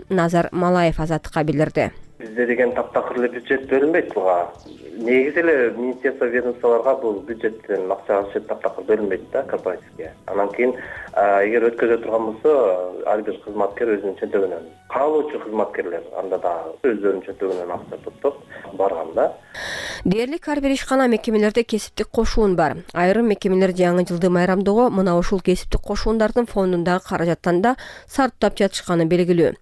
Назар Малаев азаттыкка билдирди. Бизде деген таптакыр эле бюджет бөлүнбөйт буга. Негизи эле министерство ведомстволорго бул бюджеттен акча таптакыр бөлүнбөйт да корпоративге. Анан кийин эгер өткөзө турган болсо, ар бир кызматкер өзүнүн чөнтөгүнөн, каалоочу кызматкерлер анда да өздөрүнүн чөнтөгүнөн акча топтоп барган да. Дээрлик ар бир ишкана мекемелерде кесиптик кошуун бар. Айрым мекемелер жаңы жылды майрамдоого мына ушул кесиптик кошуундардын фондундагы каражаттан да сарптап жатышканы белгилүү.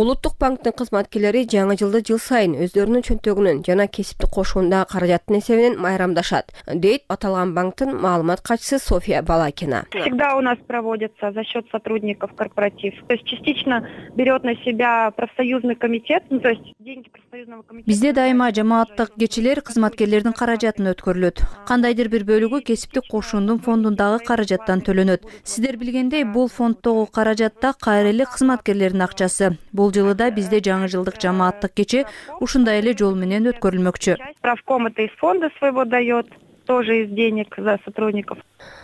Улуттук банктын кызматкерлери жаңы жылды жыл сайын өздөрүнүн чөнтөгүнөн жана кесиптик кошуундагы каражаттын эсебинен майрамдашат, дейт аталган банктын маалымат катчысы Софья Балакина. Всегда у нас проводится за счет сотрудников корпоратив. То есть частично берет на себя профсоюзный комитет, то есть деньги профсоюзного комитета. Бизде дайыма жамааттык кечилер кызматкерлердин каражатын өткөрүлөт. Кандайдыр бир бөлүгү кесиптик кошуундун фондундагы каражаттан төлөнөт. Сиздер билгендей, бул фонддогу каражатта кайрылык кызматкерлердин акчасы. Бул жылы да бизде жаңы жылдык жамааттык кече ушундай эле жол менен өткөрүлмөкчү. Правком это из фонда своего дает, тоже из денег за сотрудников.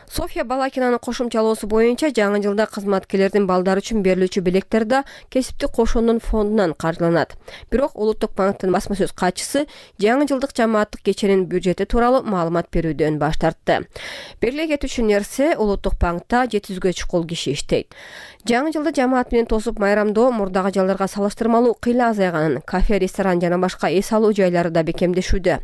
Софья Балакинанын кошумчалоосу боюнча жаңы жылда кызматкерлердин балдары үчүн берилүүчү белектер да кесиптик кошуунун фондунан каржыланат. Бирок Улуттук банктын басма сөз катчысы жаңы жылдык жамааттык кеченин бюджети тууралуу маалымат берүүдөн баш тартты. Белгилей кетүүчү нерсе, Улуттук банкта 700гө чукул киши иштейт. Жаңы жылды жамаат менен тосуп майрамдоо мурдагы жылдарга салыштырмалуу кыйла азайганын, кафе, ресторан жана башка эс алуу жайлары да бекемдешүүдө.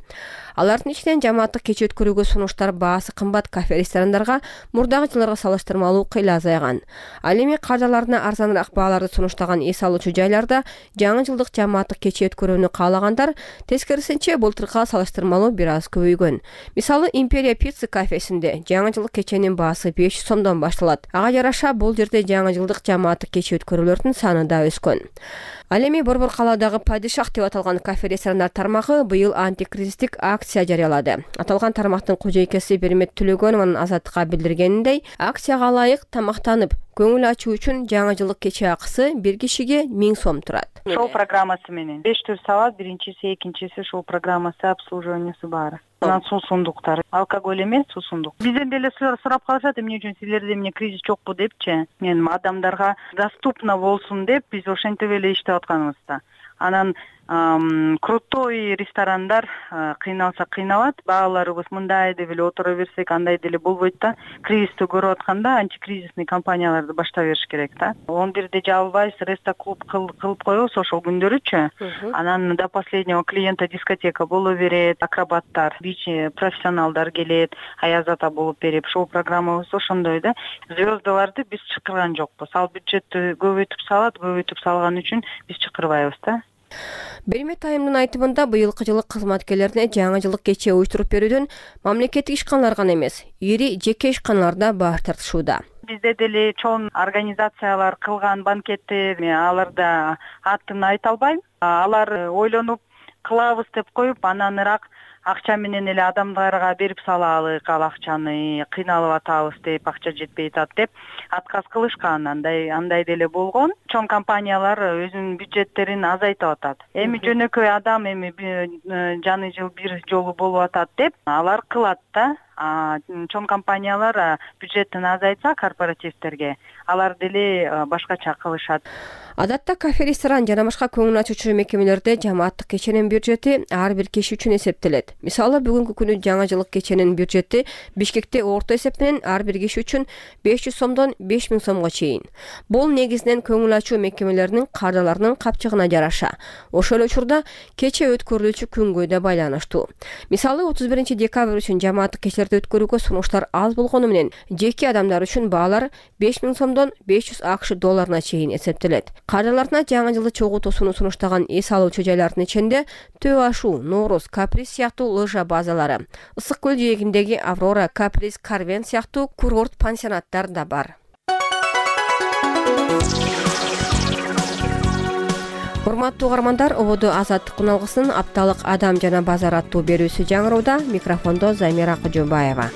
Алардын ичинен жамааттык кече өткөрүүгө сунуштар баасы кымбат кафе, ресторандарга мурдагы жылдарга салыштырмалуу кыйла азайган. Ал эми каржыларына арзаныраак бааларды сунуштаган эс алуучу жайларда жаңы жылдык жамааттык кече өткөрүүнү каалагандар тескерисинче былтыркыга салыштырмалуу бир аз көбөйгөн. Мисалы, Империя пицца кафесинде жаңы жылдык кеченин баасы 500 сомдон башталат. Ага жараша бул жерде жаңы жылдык жамааттык кече өткөрүүлөрдүн саны да өскөн. Ал эми Борбор калаадагы Падишах деп аталган кафе, ресторандар тармагы быйыл антикризистик акция жарыялады. Аталган тармактын кожойкеси Бермет Түлөгөнованын Азаттыкка билдиргениндей, акцияга ылайык тамактанып, көңүл ачуу үчүн жаңы жылдык кече акысы бир кишиге 1000 сом турат. Шоу программасы менен 5 түр салат, биринчиси, экинчиси шоу программасы, обслуживаниясы бар. Анан суусундуктар. Алкоголь эмес, суусундук. Бизден деле сурап калышат, эмне үчүн силерде эмне кризис жокпу депчи. Мен адамдарга доступно болсун деп биз ошентип эле иштеп атканыбызда. Анан крутой ресторандар кыйналса кыйналат, бааларыбыз мындай деп эле отура берсек андай деле болбойт да. Кризисти көрүп атканда антикризисный компанияларды баштап бериш керек да. 11-де жабылбайбыз, рестоклуб кылып коебуз ошол күндөрүчү. Анан до последнего клиента дискотека боло берет, акробаттар, бич профессионалдар келет, аяз ата болуп берип, шоу программабыз ошондой да. Звездаларды биз чакырган жокпуз. Ал бюджетти көбөйтүп салган үчүн биз чакырбайбыз да. Бермет айымдын айтымында быйылкы жылы кызматкерлерине жаңы жылдык кече уюштуруп берүүдөн мамлекеттик ишканалар гана эмес, ири жеке ишканалар да баш тартышууда. Бизде деле чоң организациялар кылган банкеттер, аларда атын айта албайм. Алар ойлонуп кылабыз деп коюп, анан ыраак акча менен эле адамдарга берип салалык, ал акчаны кыйналып атабыз деп, акча жетпей атат деп отказ кылышкан. Андай деле болгон. Чоң компаниялар өзүнүн бюджеттерин азайтып атат. Эми жөнөкөй адам эми жаңы жыл бир жолу болуп атат деп алар кылат да. Чоң компаниялар бюджеттин азайтса корпоративтерге, алар деле башкача кылышат. Адатта кафе, ресторан жана башка көңүл ачуучу мекемелерде жамааттык кеченин бюджети ар бир киши үчүн эсептелет. Мисалы, бүгүнкү күнү жаңы жылдык кеченин бюджети Бишкекте орто эсеп менен ар бир киши үчүн 500 сомдон 5000 сомго чейин. Бул негизинен көңүл ачуу мекемелеринин каржыларынын капчыгына жараша. Ошол эле учурда кече өткөрүлүүчү күнгө да байланыштуу. Мисалы, 31 декабрь үчүн жамааттык кечелерди өткөрүүгө сунуштар аз болгону менен жеке адамдар үчүн баалар 5000 сомдон 500 АКШ долларына чейин эсептелет. Каржыларына жаңы жылды чогуу тосууну сунуштаган эс алуучу жайлардын ичинде Төө Ашу, Нооруз, Каприз сыяктуу лыжа базалары, Ысык көл жээгиндеги Аврора, Каприз, Карвен сыяктуу курорт пансионаттар да бар. Урматтуу угармандар, ободо Азаттык күналгысынын апталык адам жана базар аттуу берүүсү жаңырууда. Микрофондо Замира Кожобаева.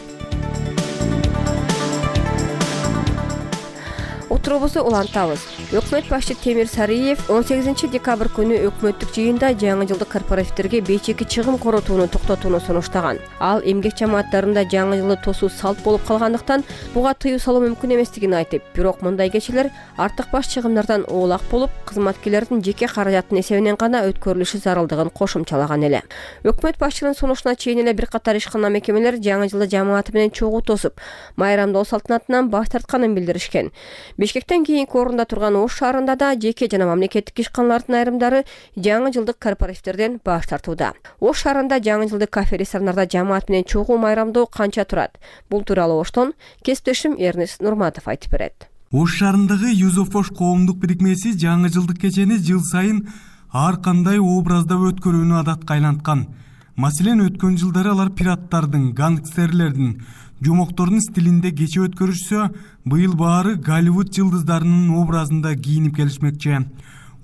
Отурубузду улантабыз. Өкмөт башчы Темир Сариев 18 декабрь күнү өкмөттүк жыйында жаңы жылдык корпоративтерге бейчеки чыгым коротууну токтотууну сунуштаган. Ал эмгек жамааттарында жаңы жылды тосуу салт болуп калгандыктан буга тыюу салуу мүмкүн эместигин айтып, бирок мындай кечелер артык баш чыгымдардан оолак болуп, кызматкерлердин жеке каражаттын эсебинен гана өткөрүлүшү зарылдыгын кошумчалаган эле. Өкмөт башчынын сунушуна чейин эле бир катар ишкана мекемелер жаңы жылды жамааты менен чогуу тосуп, майрамдоо салтанатынан баш тартканын билдиришкен. Бишкектен кийинки орунда турган Ош шаарында да жеке жана мамлекеттик ишканалардын айрымдары жаңы жылдык корпоративтерден баш тартууда. Ош шаарында жаңы жылдык кафе, ресторандарда жамаат менен чогуу майрамдоо канча турат? Бул тууралуу Оштон кесиптешим Эрнест Нурматов айтып берет. Ош шаарындагы Юзофош коомдук бирикмеси жаңы жылдык кечени жыл сайын ар кандай образда өткөрүүнү адатка айланткан. Маселен, өткөн жылдары алар пираттардын, гангстерлердин, жомоктордун стилинде кече өткөрүшсө, быйыл баары Голливуд жылдыздарынын образында кийинип келишмекчи.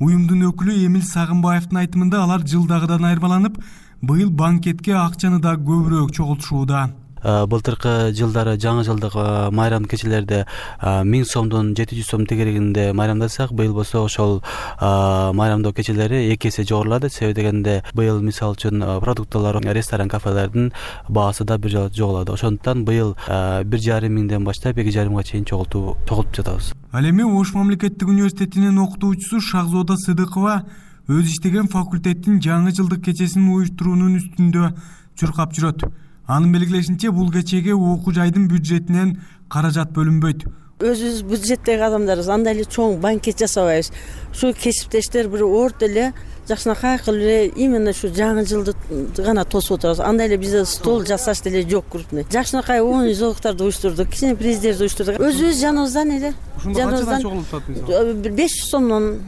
Уюмдун өкүлү Эмил Сагынбаевдин айтымында алар жылдагыдан айырмаланып, быйыл банкетке акчаны да көбүрөөк чогултушууда. Былтыркы жылдары жаңы жылдык майрам кечелерде 1000 сомдон 700 сом тегерегинде майрамдасак, быйыл болсо ошол майрамдоо кечелери 2 эсе жогорулады. Себеби дегенде быйыл мисалы үчүн продукталар, ресторан, кафелердин баасы да бир жолу жогулады. Ошондуктан быйыл 1,5 миңден баштап 2,5 чейин чогултуп жатабыз. Ал эми Ош мамлекеттик университетинин окутуучусу Шахзода Сыдыкова өз иштеген факультеттин жаңы жылдык кечесин уюштуруунун үстүндө чуркап жүрөт. Анын белгилешинче, бул кечеге окуу жайдын бюджетинен каражат бөлүнбөйт. Өзүбүз бюджеттеги адамдарбыз, андай эле чоң банкет жасабайбыз. Ушу кесиптештер бир орто эле жакшынакай кылып эле именно ушу жаңы жылды гана тосуп отурабыз. Андай эле бизде стол жасаш деле жок крупный. Жакшынакай оюн зоолуктарды уюштурдук, кичине приздерди уюштурдук. Өзүбүз жаныбыздан эле. Ушунда качадан чогулуп атат? 500 сомдон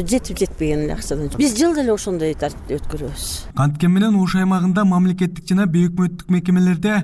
жетпеген эле акчадан. Биз жылда эле ошондой тартипте өткөрөбүз. Канткени менен Ош аймагында мамлекеттик жана өкмөттүк мекемелерде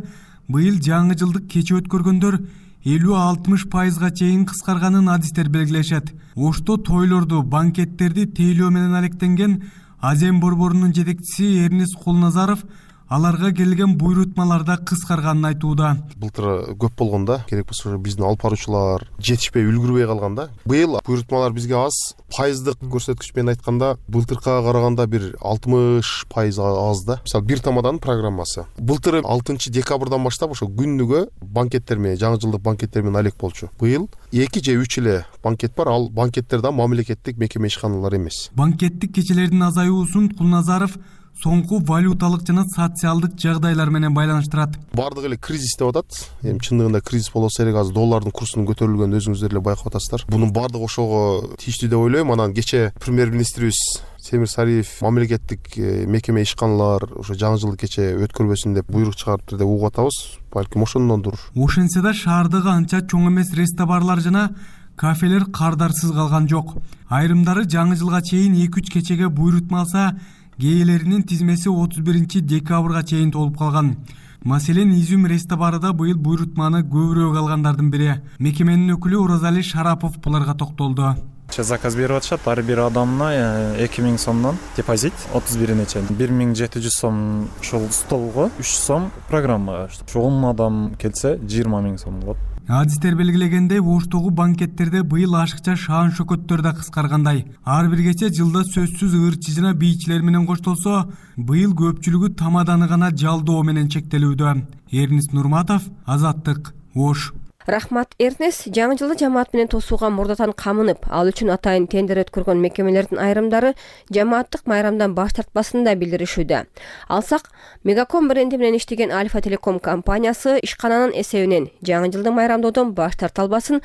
быйыл жаңы жылдык кече өткөргөндөр 50-60% чейин кыскарганын адистер белгилешет. Ошто тойлорду, банкеттерди тейлөө менен алектенген Азем борборунун жетекчиси Эрнест Кулназаров аларга келген буйрутмаларда кыскарганын айтууда. Былтыр көп болгондо, керек болсо биздин алып баруучулар жетишпей үлгүрбөй калганда, быйыл буйрутмалар бизге аз. Пайыздык көрсөткүч менен айтканда, былтыркыга караганда бир 60% аз да. Мисалы, бир тамаданын программасы. Былтыр 6 декабрдан баштап ошо күнүгө банкеттер менен, жаңы жылдык банкеттер менен алек болчу. Быйыл 2 же 3 эле банкет бар, ал банкеттер да мамлекеттик мекеме ишканалар эмес. Банкеттик кечелердин азаюусун Кулназаров соңку валюталык жана социалдык жагдайлар менен байланыштырат. Бардыгы эле кризис деп атат. Эми чындыгында кризис болсо керек, азыр доллардын курсунун көтөрүлгөнүн өзүңүздөр эле байкап атасыздар. Бунун бардыгы ошого тийиштүү деп ойлойм. Анан кече премьер-министрибиз Темир Сариев мамлекеттик мекеме ишканалар ошо жаңы жылдык кече өткөрбөсүн деп буйрук чыгарыптыр деп угуп атабыз. Балким ошондондур. Ошентсе да шаардагы анча чоң эмес ресторандарлар жана кафелер кардарсыз калган жок. Айрымдары жаңы жылга чейин 2-3 кечеге буйрутма алса, кээелеринин тизмеси 31 декабрга чейин толуп калган. Маселен, Изюм ресторанда быйыл буйрутманы көбүрөөк алгандардын бири. Мекеменин өкүлү Уразали Шарапов буларга токтолду. Заказ берип атышат, ар бир адамына 2000 сомдон депозит 31-не чейин. 1700 сом ушул столго, 3 сом программага. Ошо 10 адам келсе 20 000 сом болот. Адистер белгилегендей, Оштогу банкеттерде быйыл ашыкча шаан шөкөттөр да кыскаргандай. Ар бир кече жылда сөзсүз ырчы жана бийчилер менен коштолсо, быйыл көпчүлүгү тамаданы гана жалдоо менен чектелүүдө. Эрнис Нурматов, Азаттык, Ош. Рахмат, Эрнес. Жаңы жылды жамаат менен тосууга мурдатан камынып, ал үчүн атайын тендер өткөргөн мекемелердин айрымдары жамааттык майрамдан баш тартпасын да билдиришүүдө. Алсак, Мегаком бренди менен иштеген Альфа Телеком компаниясы ишкананын эсебинен жаңы жылды майрамдоодон баш тарта албасын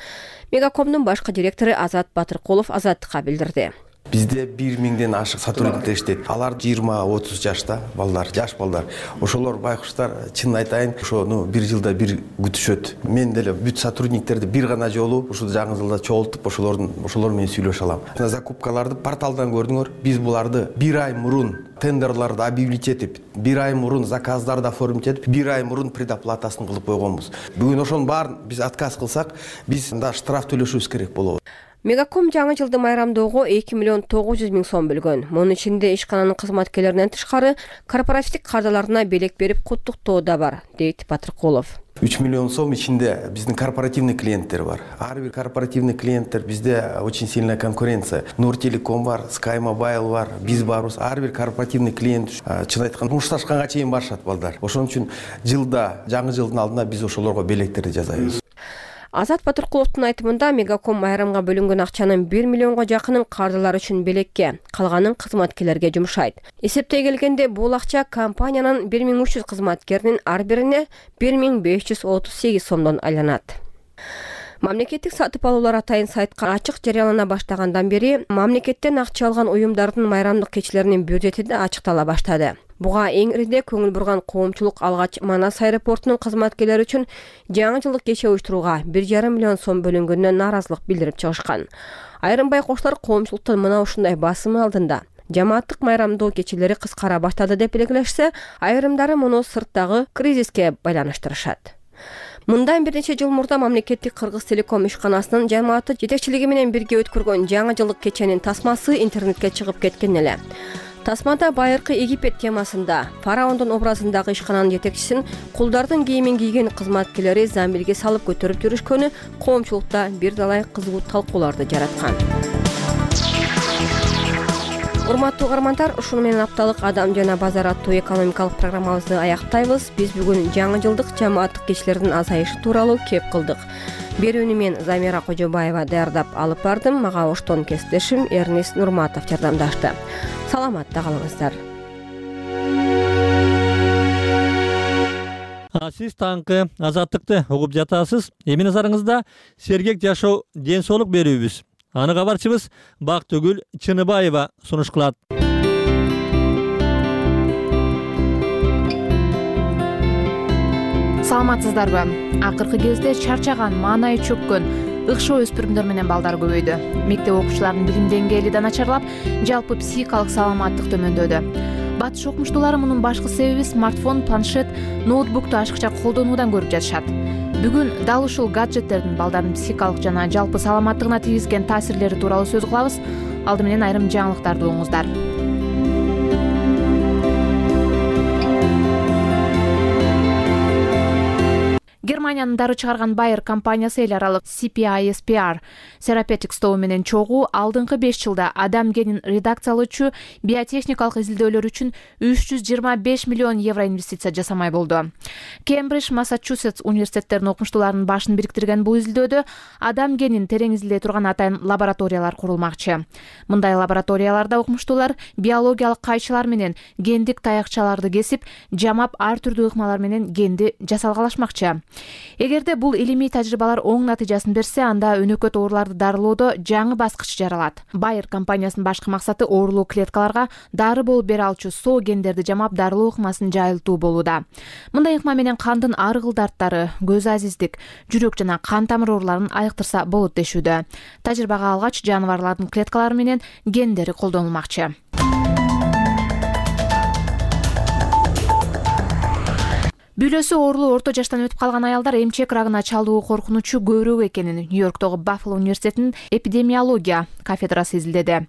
Мегакомдун башкы директору Азат Батыркулов Азаттыкка билдирди. Бизде 1000ден ашык сотрудниктер иштейт. Алар 20-30 жашта балдар, жаш балдар. Ошолор байкуштар, чын айтайын, ошону бир жылда бир күтүшөт. Мен деле бүт сотрудниктерди бир гана жолу ушул жаңы жылда чогултуп, ошолор менен сүйлөшө алам. Закупкаларды порталдан көрдүңөр. Биз буларды бир ай мурун тендерларды объявить этип, бир ай мурун заказдарды оформить этип, бир ай мурун предоплатасын кылып койгонбуз. Бүгүн ошонун баарын биз отказ кылсак, биз штраф төлөшүбүз керек болот. Мегаком жаңы жылды майрамдоого 2 900 000 сом бөлгөн. Мунун ичинде ишкананын кызматкерлеринен тышкары корпоративдик кардаларына белек берип куттуктоо да бар, дейт Батыркулов. 3 миллион сом ичинде биздин корпоративный клиенттер бар. Ар бир корпоративный клиенттер bizde очень сильная конкуренция. Нуртелеком бар, Sky Mobile бар, биз барбыз. Ар бир корпоративный клиент чын айтканда мушташканга чейин барышат балдар. Ошон үчүн жылда, жаңы жылдын алдында биз ошолорго белектерди жасайбыз. Азат Батыркуловдун айтымында Мегаком майрамга бөлүнгөн акчанын 1 миллионго жакынын кардалар үчүн белекке, калганын кызматкерлерге жумшайт. Эсептей келгенде бул акча компаниянын 1300 кызматкеринин ар бирине 1538 сомдон айланат. Мамлекеттик сатып алуулар атайын сайтка ачык жарыялана баштагандан бери мамлекеттен акча алган уюмдардын майрамдык кечелеринин бюджети да ачыктала баштады. Буга эң ириде көңүл бурган коомчулук алгач Манас аэропортунун кызматкерлери үчүн жаңы жылдык кече уюштурууга 1,5 миллион сом бөлүнгөнүнө нааразылык билдирип чыгышкан. Айрым байкоштор коомчулуктун мына ушундай басымы алдында жамааттык майрамдоо кечелери кыскара баштады деп белгилешсе, айрымдары муну сырттагы кризиске байланыштырышат. Мындан бир нече жыл мурда мамлекеттик Кыргыз Телеком ишканасынын жамааты жетекчилиги менен бирге өткөргөн жаңы жылдык кеченин тасмасы интернетке чыгып кеткен эле. Тасмада байыркы Египет темасында фараондун образындагы ишкананын жетекчисин кулдардын кийимин кийген кызматкерлери замбилге салып көтөрүп жүрүшкөнү коомчулукта бир далай кызуу талкууларды жараткан. Урматтуу угармандар, ушуну менен апталык Адам жана базар аттуу экономикалык программабызды аяктайбыз. Биз бүгүн жаңы жылдык жамааттык кечилердин азайышы тууралуу кеп кылдык. Берүүнү мен Замира Кожобаева даярдап алып бардым. Мага оштон кесиптешим Эрнис Нурматов жардамдашты. Саламатта калыңыздар. Сиз таңкы азаттыкты угуп жатасыз. Эми назарыңызда сергек жашоо ден соолук берүүбүз. Аны кабарчыбыз Бактыгүл Чыныбаева сунуш кылат. Саламатсыздарбы? Акыркы кезде чарчаган, маанайы чөккөн, ыкшоо өспүрүмдөр менен балдар көбөйдү. Мектеп окуучуларынын билим деңгээли да начарлап, жалпы психикалык саламаттык төмөндөдү. Батыш окумуштуулары мунун башкы себеби смартфон, планшет, ноутбукту ашыкча колдонуудан көрүп жатышат. Бүгүн дал ушул гаджеттердин балдардын психикалык жана жалпы саламаттыгына тийгизген таасирлери тууралуу сөз кылабыз. Алды менен айрым жаңылыктарды угуңуздар. Германиянын дары чыгарган Bayer компаниясы эл аралык CPISPR Therapeutics тобу менен чогуу алдыңкы 5 жылда адам генин редакциялоочу биотехникалык изилдөөлөр үчүн 325 миллион евро инвестиция жасамай болду. Кембридж, Массачусетс университеттеринин окумуштууларынын башын бириктирген бул изилдөөдө адам генин терең изилдей турган атайын лабораториялар курулмакчы. Мындай лабораторияларда окумуштуулар биологиялык кайчылар менен гендик таякчаларды кесип, жамап ар түрдүү ыкмалар менен генди жасалгалашмакчы. Эгерде бул илимий тажрыйбалар оң натыйжасын берсе, анда өнөкөт ооруларды дарылоодо жаңы баскыч жаралат. Bayer компаниясынын башкы максаты оорулуу клеткаларга дары болуп бере алчу соо гендерди жамап дарылоо ыкмасын жайылтуу болууда. Мындай ыкма менен кандын арыгыл дарттары, көз азиздик, жүрөк жана кан тамыр ооруларын айыктырса болот дешүүдө. Тажрыйбага алгач жаныбарлардын клеткалары менен гендери колдонулмакчы. Бүлөсү оорулуу орто жаштан өтүп калган аялдар эмчек рагына чалдыгуу коркунучу көбүрөөк экенин Нью-Йорктогу Баффало университетинин эпидемиология кафедрасы изилдеди.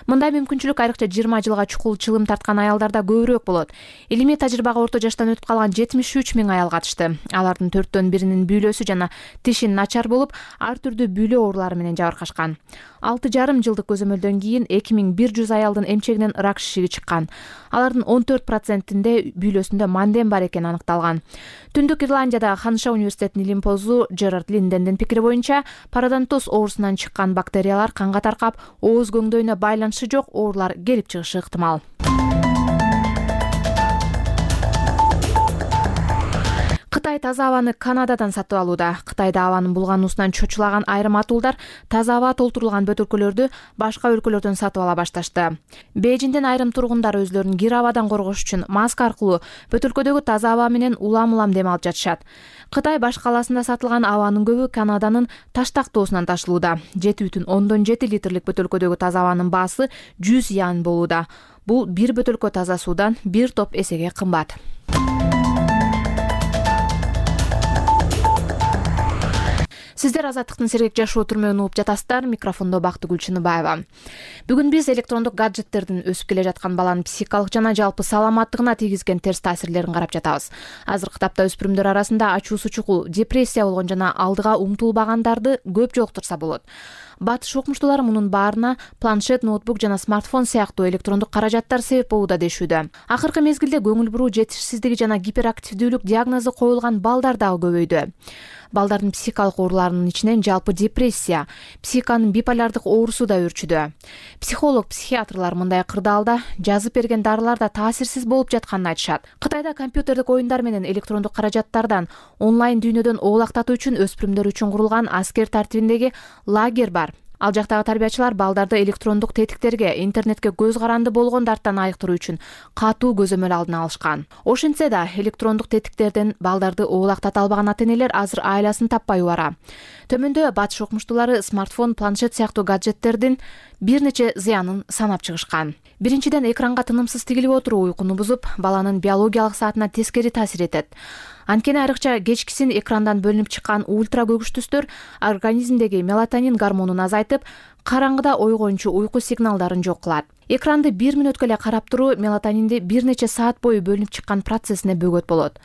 Мындай мүмкүнчүлүк айрыкча 20 жылга чукул чылым тарткан аялдарда көбүрөөк болот. Илимий тажрыйбага орто жаштан өтүп калган 73 миң аял катышты. Алардын 4/1 бүлөсү жана тиши начар болуп, ар түрдүү бүлө оорулары менен жабыркашкан. 6,5 жылдык көзөмөлдөн кийин 2100 аялдын эмчегинен рак шишиги чыккан. Алардын 14%-inde бүлөсүндө манден бар экени аныкталган. Түндүк Ирландиядагы Ханыша университетинин илим позу Джерард Линдендин пикири боюнча, пародонтоз оорусунан чыккан бактериялар канга таркап, ооз көңдөйүнө байланышы жок оорулар келип чыгышы ыктымал. Кытай таза абаны Канададан сатып алууда. Кытайда абанын булгануусунан чочулаган айрым атуулдар таза аба толтурулган бөтөлкөлөрдү башка өлкөлөрдөн сатып ала башташты. Бейжиңден айрым тургундар өзлөрүн кир абадан коргош үчүн маска аркылуу бөтөлкөдөгү таза аба менен улам-улам дем алып жатышат. Кытай баш калаасында сатылган абанын көбү Канаданын Таштактоосунан ташылууда. 7,7 литрлик бөтөлкөдөгү таза абанын баасы 100 ян болууда. Бул бир бөтөлкө таза суудан бир топ эсеге кымбат. Сиздер азаттыктын сергек жашоо түрмөгүн угуп жатасыздар. Микрофондо Бактыгүл Чыныбаева. Бүгүн биз электрондук гаджеттердин өсүп келе жаткан баланын психикалык жана жалпы саламаттыгына тийгизген терс таасирлерин карап жатабыз. Азыркы тапта өспүрүмдөр арасында ачуусу чукул, депрессия болгон жана алдыга умтулбагандарды көп жолуктурса болот. Батыш окумуштуулары мунун баарына планшет, ноутбук жана смартфон сыяктуу электрондук каражаттар себеп болууда дешүүдө. Акыркы мезгилде көңүл буруу жетишсиздиги жана гиперактивдүүлүк диагнозу коюлган балдар дагы көбөйдү. Балдардын психикалык ооруларынын ичинен жалпы депрессия, психиканын биполярдык оорусу да өрчүдө. Психолог, психиатрлар мындай кырдаалда жазып берген дарылар да таасирсиз болуп жатканын айтышат. Кытайда компьютердик оюндар менен электрондук каражаттардан онлайн дүйнөдөн оолактатуу үчүн өспүрүмдөр үчүн курулган аскер тартибиндеги лагерь бар. Ал жактагы тарбиячылар балдарды электрондук тетиктерге, интернетке көз каранды болгондардан айыктыруу үчүн катуу көзөмөл алдын алышкан. Ошентсе да электрондук тетиктерден балдарды оолактата албаган ата-энелер азыр айласын таппай убара. Төмөндө батыш окумуштуулары смартфон, планшет сыяктуу гаджеттердин бир нече зыянын санап чыгышкан. Биринчиден, экранга тынымсыз тигилип отуруу уйкуну бузуп, баланын биологиялык саатына тескери таасир этет. Анткени айрыкча кечкисин экрандан бөлүнүп чыккан ультра көгүч түстөр организмдеги мелатонин гормонун азайтып, караңгыда ойгончу уйку сигналдарын жок кылат. Экранды 1 мүнөткө эле карап туруу мелатонинди бир нече саат бою бөлүнүп чыккан процессине бөгөт болот.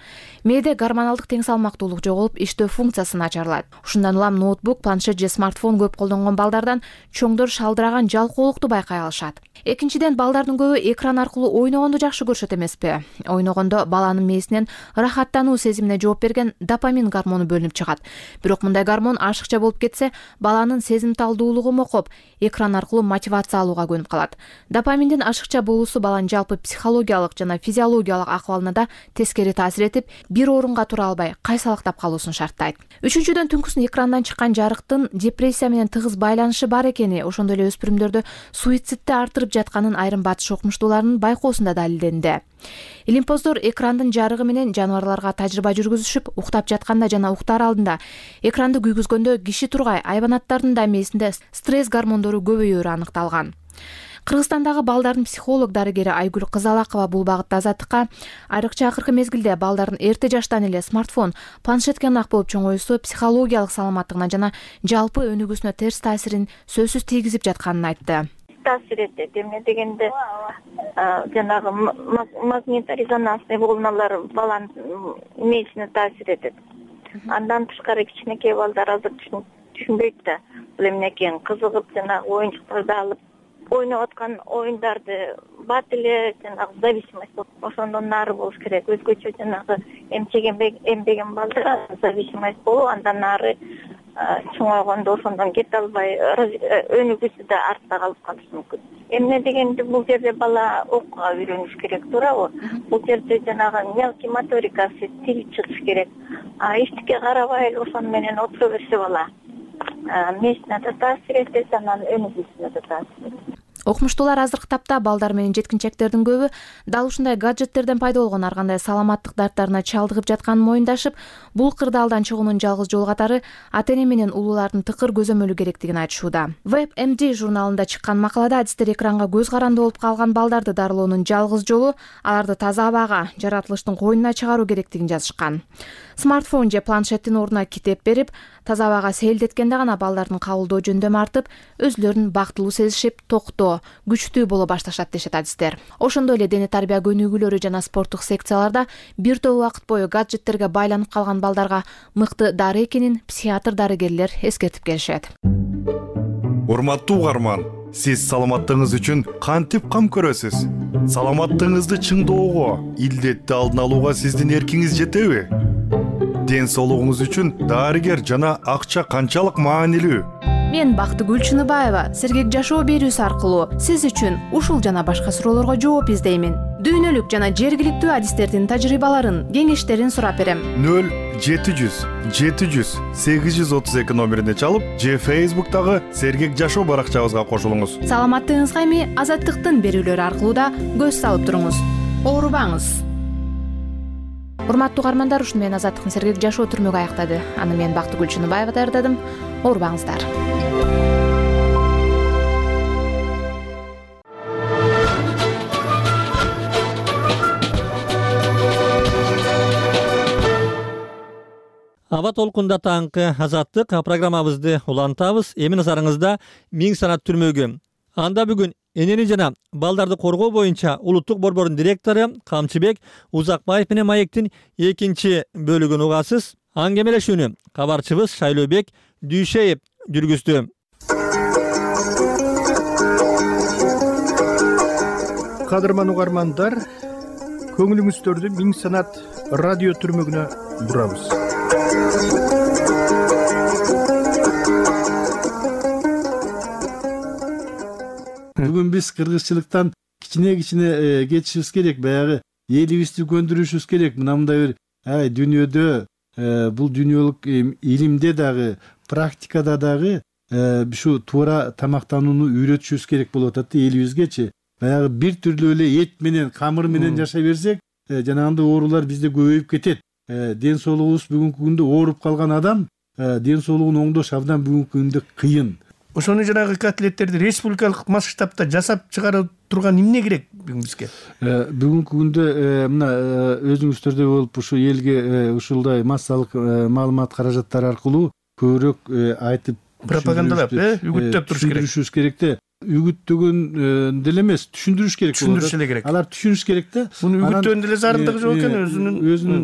Мээде гормоналдык тең салмактуулук жоголуп, иштөө функциясы начарлайт. Ушундан улам ноутбук, планшет же смартфон көп колдонгон балдардан чоңдор шалдыраган жалкоолукту байкай алышат. Экинчиден, балдардын көбү экран аркылуу ойногонду жакшы көрүшөт эмеспи? Ойногондо баланын мээсинен ырахаттануу сезимине жооп берген допамин гормону бөлүнүп чыгат. Бирок мындай гормон ашыкча болуп кетсе, баланын сезимталдуулугу мокоп, экран аркылуу мотивация алууга көнүп калат. Допаминдин ашыкча болуусу баланын жалпы психологиялык жана физиологиялык акыбалына да тескери таасир этип, бир орунга тура албай, кайсалактап калуусун шарттайт. Үчүнчүдөн, түнкүсүн экрандан чыккан жарыктын депрессия менен тыгыз байланышы бар экени, ошондой эле өспүрүмдөрдө суицидди артырып жатканын айрым батыш окумуштууларынын байкоосунда далилденди. Илимпоздор экрандын жарыгы менен жаныбарларга тажрыйба жүргүзүшүп, уктап жатканда жана уктаар алдында экранды күйгүзгөндө киши тургай айбанаттардын да мээсинде стресс гормондору көбөйөөрү аныкталган. Кыргызстандагы балдардын психолог дарыгери Айгүл Кызалакова бул багытта Азаттыкка айрыкча акыркы мезгилде балдардын эрте жаштан эле смартфон, планшетке ынак болуп чоңоюусу психологиялык саламаттыгына жана жалпы өнүгүүсүнө терс таасирин сөзсүз тийгизип жатканын айтты. Таасир этет. Эмне дегенде жанагы магнитно-резонансный волналар баланын мээсине таасир этет. Андан тышкары кичинекей балдар азыр түшүнбөйт да бул эмне экенин, кызыгып жанагы оюнчуктарды алып ойноп аткан оюндарды бат эле жанагы зависимость болуп, ошондон нары болуш керек. Өзгөчө жанагы эмбеген балдар зависимость болуп, андан нары чоңойгондо ошондон кете албай, өнүгүүсү да артта калып калышы мүмкүн. Эмне дегенде бул жерде бала окууга үйрөнүш керек, туурабы? Бул жерде жанагы мелкий моторикасы тигип чыгыш керек. Эчтеке карабай эле ошону менен отура берсе бала мээсине да таасир этет, анан өнүгүүсүнө да таасир этет. Окумуштуулар азыркы тапта балдар менен жеткинчектердин көбү дал ушундай гаджеттерден пайда болгон ар кандай саламаттык дарттарына чалдыгып жатканын моюндашып, бул кырдаалдан чыгуунун жалгыз жол катары ата-эне менен улуулардын тыкыр көзөмөлү керектигин айтышууда. WebMD журналында чыккан макалада адистер экранга көз каранды болуп калган балдарды дарылоонун жалгыз жолу аларды таза абага, жаратылыштын койнуна чыгаруу керектигин жазышкан. Смартфон же планшеттин ордуна китеп берип, таза абага сейилдеткенде гана балдардын кабылдоо жөндөмү артып, өзүлөрүн бактылуу сезишип, токтоо, күчтүү боло башташат дешет адистер. Ошондой эле дене тарбия көнүгүүлөрү жана спорттук секцияларда бир топ убакыт бою гаджеттерге байланып калган балдарга мыкты дары экенин психиатр дарыгерлер эскертип келишет. Урматтуу угарман, сиз саламаттыгыңыз үчүн кантип кам көрөсүз? Саламаттыгыңызды чыңдоого, илдетти алдын алууга сиздин эркиңиз жетеби? Ден соолугуңуз үчүн дарыгер жана акча канчалык маанилүү? Мен Бактыгүл Чыныбаева сергек жашоо берүүсү аркылуу сиз үчүн ушул жана башка суроолорго жооп издеймин. Дүйнөлүк жана жергиликтүү адистердин тажрыйбаларын, кеңештерин сурап берем. 0700 700 832 номерине чалып, же Facebook'тагы сергек жашоо баракчабызга кошулуңуз. Саламаттыгыңызга эми Азаттыктын берүүлөрү аркылуу да көз салып туруңуз. Оорубаңыз. Урматтуу угармандар, ушуну менен Азаттыктын сергек жашоо түрмөгү аяктады. Аны мен Бактыгүл Чыныбаева даярдадым. Оорубаңыздар. Аба толкунда таңкы Азаттык программабызды улантабыз. Эми назарыңызда Миң санат түрмөгү. Анда бүгүн энени жана балдарды коргоо боюнча улуттук борбордун директору Камчыбек Узакбаев менен маектин экинчи бөлүгүн угасыз. Аңгемелешүүнү кабарчыбыз Шайлообек Дүйшеев жүргүздү. Кадырман угармандар, көңүлүңүздөрдү Миң санат радио түрмөгүнө бурабыз. Бүгүн биз кыргызчылыктан кичине кетишибиз керек, баягы элибизди көндүрүшүбүз керек. Мындай бир дүйнөдө бул дүйнөлүк илимде дагы, практикада дагы ушу туура тамактанууну үйрөтүшүбүз керек болуп атат элибизгечи. Баягы бир түрлүү эле эт менен, камыр менен жашай берсек, жанагындай оорулар бизде көбөйүп кетет. Ден соолугубуз бүгүнкү күндө ооруп калган адам ден соолугун оңдош абдан бүгүнкү күндө кыйын. Ошону жанагы котлеттерди республикалык масштабта жасап чыгарып турган эмне керек бүгүн бизге? Бүгүнкү күндө мына өзүңүздөрдөй болуп ушу элге ушундай массалык маалымат каражаттары аркылуу көбүрөөк айтып пропагандалап, үгүттөп туруш керек. Түшүндүрүшүбүз керек да. Үгүттөгөн деле эмес, түшүндүрүш керек. Түшүндүрүш эле керек. Алар түшүнүш керек да. Муну үгүттөөнүн деле зарылдыгы жок экен, өзүнүн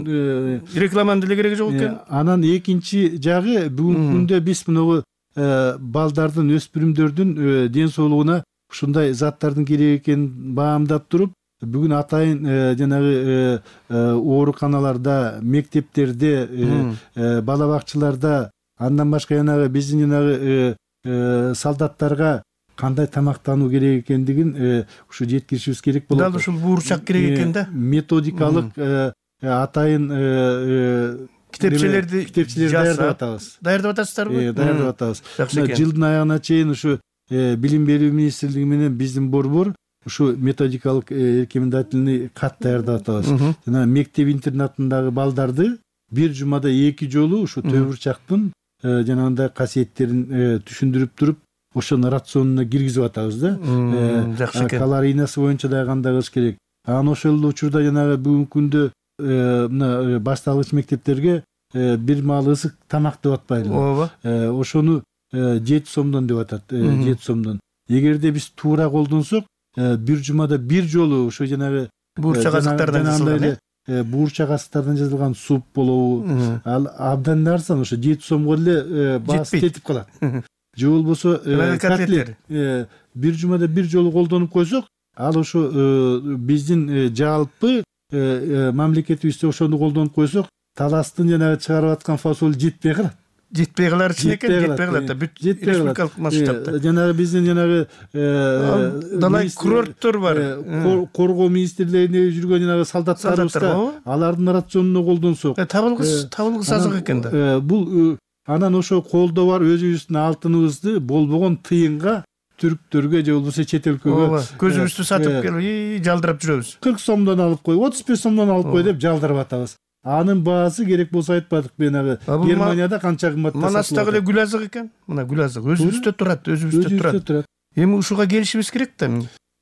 рекламанын деле кереги жок экен. Анан экинчи жагы бүгүнкү күндө биз мынабу балдардын, өспүрүмдөрдүн ден соолугуна ушундай заттардын керек экенин баамдап туруп, бүгүн атайын жанагы ооруканаларда, мектептерде, бала бакчаларда, андан башка жанагы биздин жанагы солдаттарга кандай тамактануу керек экендигин ушу жеткиришибиз керек болот. Дал ушул буурчак керек экен да. Методикалык атайын китепчелерди даярдап атабыз. Даярдап атасыздарбы? Даярдап атабыз. Жылдын аягына чейин ушу билим берүү министрлиги менен биздин борбор ушу методикалык рекомендательный кат даярдап атабыз. Жана мектеп интернатындагы балдарды бир жумада 2 жолу ушу төбүрчактын жанагындай касиеттерин түшүндүрүп туруп, ошону рационуна киргизип атабыз да. Жакшы экен. Калорийнасы боюнча дагы кандай кылыш керек. Анан ошол эле учурда жанагы бүгүнкү күндө мына башталгыч мектептерге бир маал ысык тамак деп атпайлы. Ооба. Ошону 7 сомдон деп атат. 7 сомдон. Эгерде биз туура колдонсок, бир жумада бир жолу ошо жанагы буурчак азыктардан жасалган, буурчак азыктардан жасалган суп болобу, ал абдан арзан, ошо 7 сомго эле баасы жетип калат. Же болбосо котлет бир жумада бир жолу колдонуп койсок, ал ошо биздин жалпы мамлекетибизде ошону колдонуп койсок, таластын жанагы чыгарып аткан фасолу жетпей калат. Жетпей калар үчүн экен, жетпей калат да. Бүт республикалык масштабта. Жанагы биздин жанагы далай курорттор бар. Коргоо министрлигинде жүргөн жанагы солдаттарыбызга алардын рационуна колдонсок, табылгыс азык экен да. Бул анан ошо колдоо бар өзүбүздүн алтыныбызды болбогон тыйынга түрктөргө же болбосо чет өлкөгө көзүбүздү сатып келип жалдырап жүрөбүз. 40 сомдон алып кой, 35 сомдон алып кой деп жалдырып атабыз. Анын баасы керек болсо айтпадык менагы Германияда канча кымбатта сатылат. Манастагы эле гүл азык экен. Мына гүл азык өзүбүздө турат, Эми ушуга келишибиз керек да.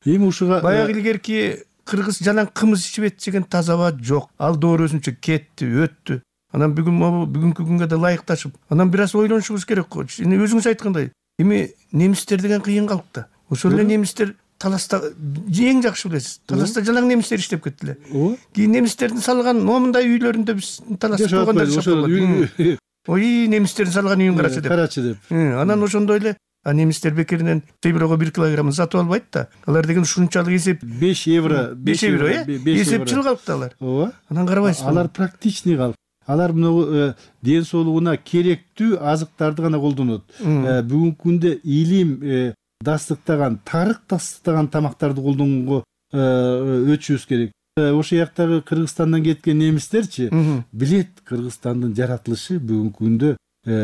Эми ушуга баягы илгерки кыргыз жалаң кымыз ичип жеген тазаба жок. Ал доор өзүнчө кетти, өттү. Анан бүгүнкү күнгө да ылайыкташып, анан бир аз ойлонушубуз керек го. Өзүңүз айткандай, эми немистер деген кыйын калыкта. Ошол эле немистер таласта эң жакшы билесиз. Таласта жалаң немистер иштеп кетти эле. Кийин немистердин салган момундай үйлөрүндө биз таласта болгондор жашап. Ой, немистердин салган үйүн карачы деп. Анан ошондой эле немистер бекеринен темирого 1 килограмм сатып албайт да. Алар деген ушунчалык эсеп 5 евро, эсепчил калыкты алар. Ооба. Анан карабайсызбы? Алар практичный калк. Алар мына ден соолугуна керектүү азыктарды гана колдонот. Бүгүнкү күндө илим дастыктаган, тарых дастыктаган тамактарды колдонгонго өтүшүбүз керек. Ошол жактагы Кыргызстандан кеткен немистерчи билет Кыргызстандын жаратылышы бүгүнкү күндө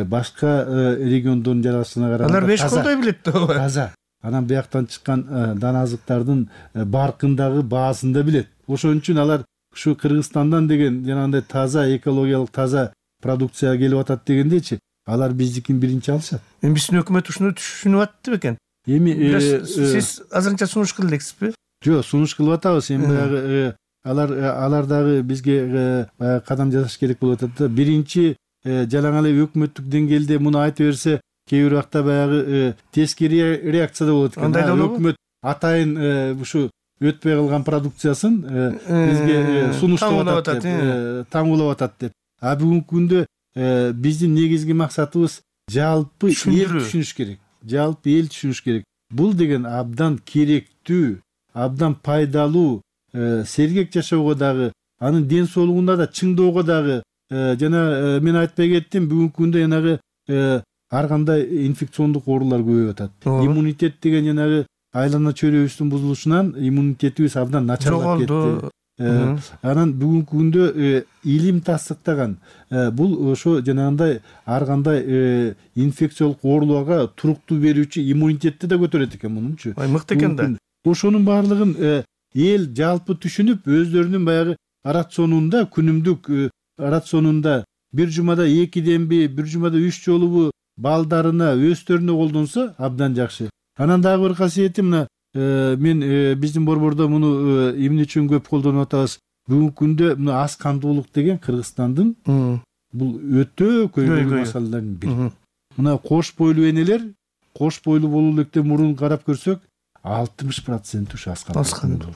башка региондордун жаратылышына караганда алар 5 колдой билет да. Таза. Анан бияктан чыккан дана азыктардын баркындагы баасын да билет. Ошон үчүн алар ушу Кыргызстандан деген жанагындай таза, экологиялык таза продукция келип атат дегендечи, алар биздикин биринчи алышат. Эми биздин өкмөт ушуну түшүнүп атты бекен? Эми сиз азырынча сунуш кылып элексизби? Жок, сунуш кылып атабыз. Эми баягы алар дагы бизге кадам жасаш керек болуп атат да. Биринчи жалаң эле өкмөттүк деңгээлде муну айтып берсе, кээ бир убакта баягы тескери реакцияда болот экен. Өкмөт атайын ушу өтпөй калган продукциясын бизге сунуштап атат деп, таңуулап атат деп. Бүгүнкү күндө биздин негизги максатыбыз жалпы эл түшүнүш керек. Жалпы эл түшүнүш керек. Бул деген абдан керектүү, абдан пайдалуу, сергек жашоого дагы, анын ден соолугуна да, чыңдоого дагы, жана мен айтпай кеттим, бүгүнкү күндө жанагы ар кандай инфекциондук оорулар көбөйүп атат. Иммунитет деген жанагы айлана чөйрөбүздүн бузулушунан иммунитетибиз абдан начарлап кетти. Анан бүгүнкү күндө илим тастыктаган бул ошо жанагындай ар кандай инфекциялык ооруларга туруктуу берүүчү иммунитетти да көтөрөт экен мунунчу. Мыкты экен да. Ошонун баардыгын эл жалпы түшүнүп өздөрүнүн баягы рационунда, күнүмдүк рационунда бир жумада 2 демби, бир жумада 3 жолубу балдарына, өстөрүнө колдонсо абдан жакшы. Анан дагы бир касиети мына мен биздин борбордо муну эмне үчүн көп колдонуп атабыз? Бүгүнкү күндө мына аз кандуулук деген Кыргызстандын бул өтө көйгөйлүү маселелердин бири. Мына кош бойлуу энелер, кош бойлуу болуу электе мурун карап көрсөк 60% ушу аз кандуу.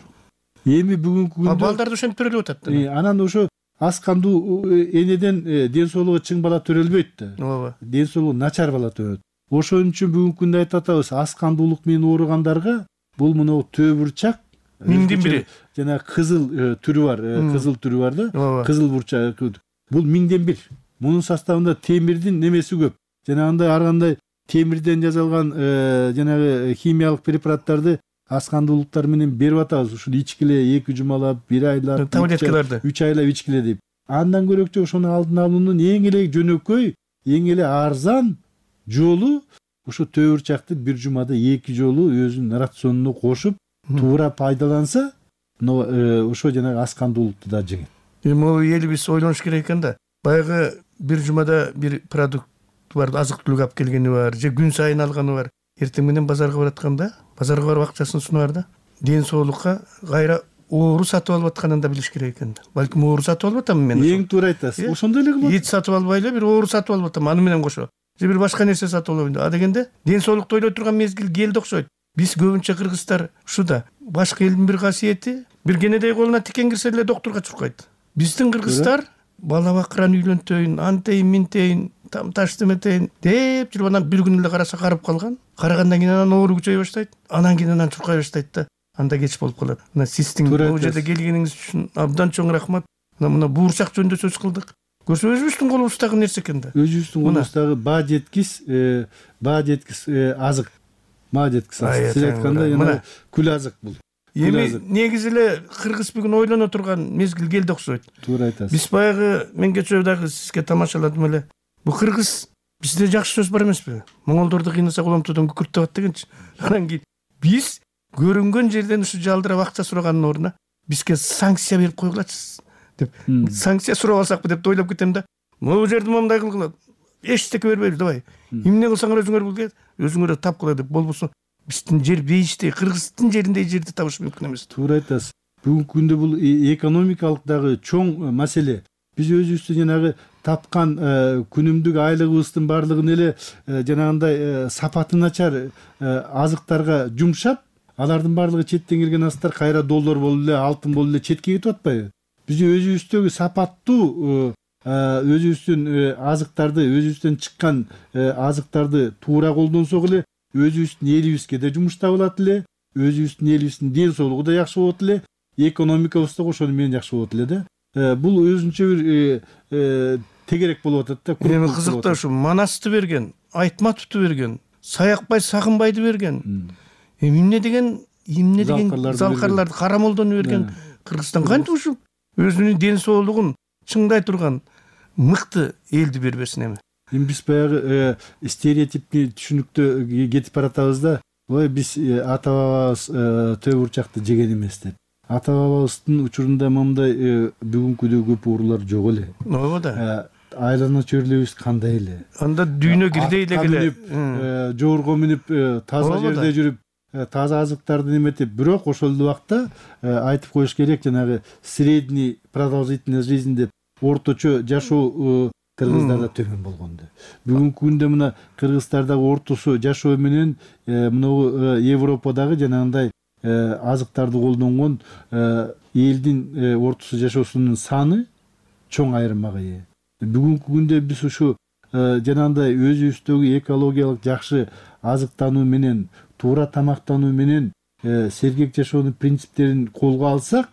Эми бүгүнкү күндө балдарды ошентип төрөлүп атат. Анан ошо аз кандуу энеден ден соолугу чың бала төрөлбөйт да. Ооба. Ден соолугу начар бала төрөт. Ошон үчүн бүгүнкү күндө айтып атабыз, аз кандуулук менен ооругандарга бул мына төбүрчак миңдин бири. Жана кызыл түрү бар, кызыл түрү бар да. Кызыл бурчак. Бул миңден бир. Мунун составында темирдин немеси көп. Жанагындай ар кандай темирден жасалган жанагы химиялык препараттарды аз кандуулуктар менен берип атабыз. Ушул ичкиле 2 жумалап, 1 айлап, таблеткаларды 3 айлап ичкиле деп. Андан көрөкчө ошону алдын алуунун эң эле жөнөкөй, эң эле арзан жолу ушу төбүрчакты бир жумада 2 жолу өзүнүн рационуна кошуп, туура пайдаланса, ошо жанагы аз кандуулукту да жеңет. Эми элибиз ойлонуш керек экен да. Баягы бир жумада бир продукт бар, азык түлүк алып келгени бар, же күн сайын алганы бар. Эртең менен базарга баратканда, базарга барып акчасын сунаар да. Ден соолукка кайра оору сатып алып атканын да билиш керек экен. Балким оору сатып алып атам мен. Эң туура айтасыз. Ошондой эле болот. Эт сатып албай эле бир оору сатып алып атам, аны менен кошо. Же бир башка нерсе сатып алабын. А дегенде ден соолукту ойлой турган мезгил келди окшойт. Биз көбүнчө кыргыздар ушу да. Башка элдин бир касиети, бир кенедей колуна тикен кирсе эле доктурга чуркайт. Биздин кыргыздар бала бакыран үйлөнтөйүн, антейин, минтейин, там таш деметейин деп жүрүп анан бир күн эле караса карып калган. Карагандан кийин анан оору күчөй баштайт. Анан кийин анан чуркай баштайт да. Анда кеч болуп калат. Мына сиздин бул жерде келгениңиз үчүн абдан чоң рахмат. Мына буурчак жөнүндө сөз кылдык. Көрсө өзүбүздүн колубуздагы нерсе экен да. Өзүбүздүн колубуздагы баа жеткис азык. Маа жеткис азык. Сиз айткандай жана күл азык бул. Эми негизи эле кыргыз бүгүн ойлоно турган мезгил келди окшойт. Туура айтасыз. Биз баягы мен кечээ дагы сизге тамашаладым эле. Бул кыргыз бизде жакшы сөз бар эмеспи? Моңолдорду кыйнасак уламтуудан күкүрт табат дегенчи. Анан кийин биз көрүнгөн жерден ушу жалдырап акча сураганын ордуна бизге санкция берип койгулачы деп. Санкция сурап алсакпы деп ойлоп кетем да. Могу жерди мындай кылгыла. Эчтеке бербейбиз, давай. Эмне кылсаңар өзүңөр билгиле, өзүңөр тапкыла деп болбосо биздин жер бейиштей, Кыргыздын жериндей жерди табыш мүмкүн эмес. Туура айтасыз. Бүгүнкү күндө бул экономикалык дагы чоң маселе. Биз өзүбүздүн жанагы тапкан күнүмдүк айлыгыбыздын баардыгын эле жанагындай сапаты начар азыктарга жумшап, алардын баардыгы четтен келген азыктар кайра доллар болуп эле, алтын болуп эле четке кетип атпайбы? Биз өзүбүздөгү сапаттуу өзүбүздүн азыктарды, өзүбүздөн чыккан азыктарды туура колдонсок эле, өзүбүздүн элибизге да жумуш табылат эле, өзүбүздүн элибиздин ден соолугу да жакшы болот эле, экономикабыз да ошону менен жакшы болот эле да. Бул өзүнчө бир тегерек болуп атат да. Эми кызыктуу ушу Манасты берген, Айтматовду берген, Саякбай Сагынбайды берген. Эмне деген залкарларды, Карамолдону берген. Кыргызстан кантип ушу өзүнүн ден соолугун чыңдай турган мыкты элди бербесин эми. Эми биз баягы стереотипти түшүнүктө кетип баратабыз да. Ой, биз ата бабабыз төбүрчакты жеген эмес деп. Ата бабабыздын учурунда мындай бүгүнкүдөй көп оорулар жок эле. Ооба да. Айлана чөйрөлүбүз кандай эле. Анда дүйнө кирдей эле келе. Жоорго минип, таза жерде жүрүп, таза азыктарды эметип, бирок ошол убакта айтып коюш керек, жанагы средний продолжительность жизни деп орточо жашоо кыргыздарда төмөн болгонду. Бүгүнкү күндө мына кыргыздардагы ортосу жашоо менен мына Европадагы жанагындай азыктарды колдонгон элдин ортосу жашоосунун саны чоң айырмага ээ. Бүгүнкү күндө биз ушу жанагындай өзүбүздөгү экологиялык жакшы азыктануу менен, туура тамактануу менен сергек жашоонун принциптерин колго алсак,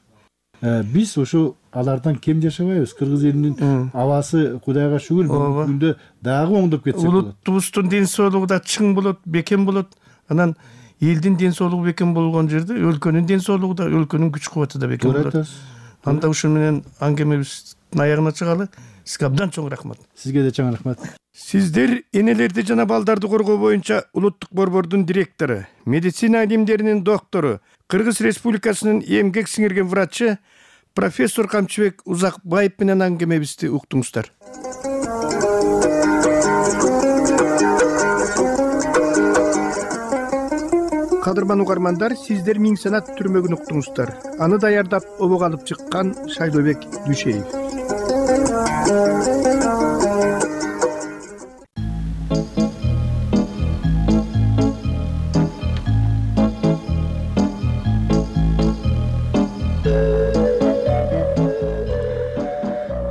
биз ошо алардан кем жашабайбыз. Кыргыз элинин абасы Кудайга шүгүр бүгүнкү күндө дагы оңдоп кетсе болот. Улутубуздун ден соолугу да чың болот, бекем болот. Анан элдин ден соолугу бекем болгон жерде өлкөнүн ден соолугу да, өлкөнүн күч кубаты да бекем болот. анда ушун менен аңгемебиздин аягына чыгалы. Сизге абдан чоң рахмат. Сизге да чоң рахмат. Сиздер энелерди жана балдарды коргоо боюнча улуттук борбордун директору, медицина илимдеринин доктору, Кыргыз Республикасынын эмгек сиңирген врачы профессор Камчыбек Узакбаев менен аңгемебизди уктуңуздар. Кадырман угармандар, сиздер Миң Санат түрмөгүн уктуңуздар. Аны даярдап обого алып чыккан Шайлообек Дүйшеев.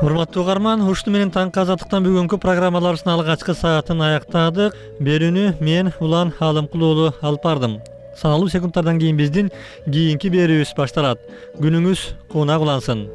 Урматтуу угарман, ушуну менен таңкы азаттыктан бүгүнкү программаларыбыздын алгачкы саатын аяктадык. Берүүнү мен Улан Алымкул уулу алып бардым. Саналуу секундтардан кийин биздин кийинки берүүбүз башталат. Күнүңүз куунак улансын.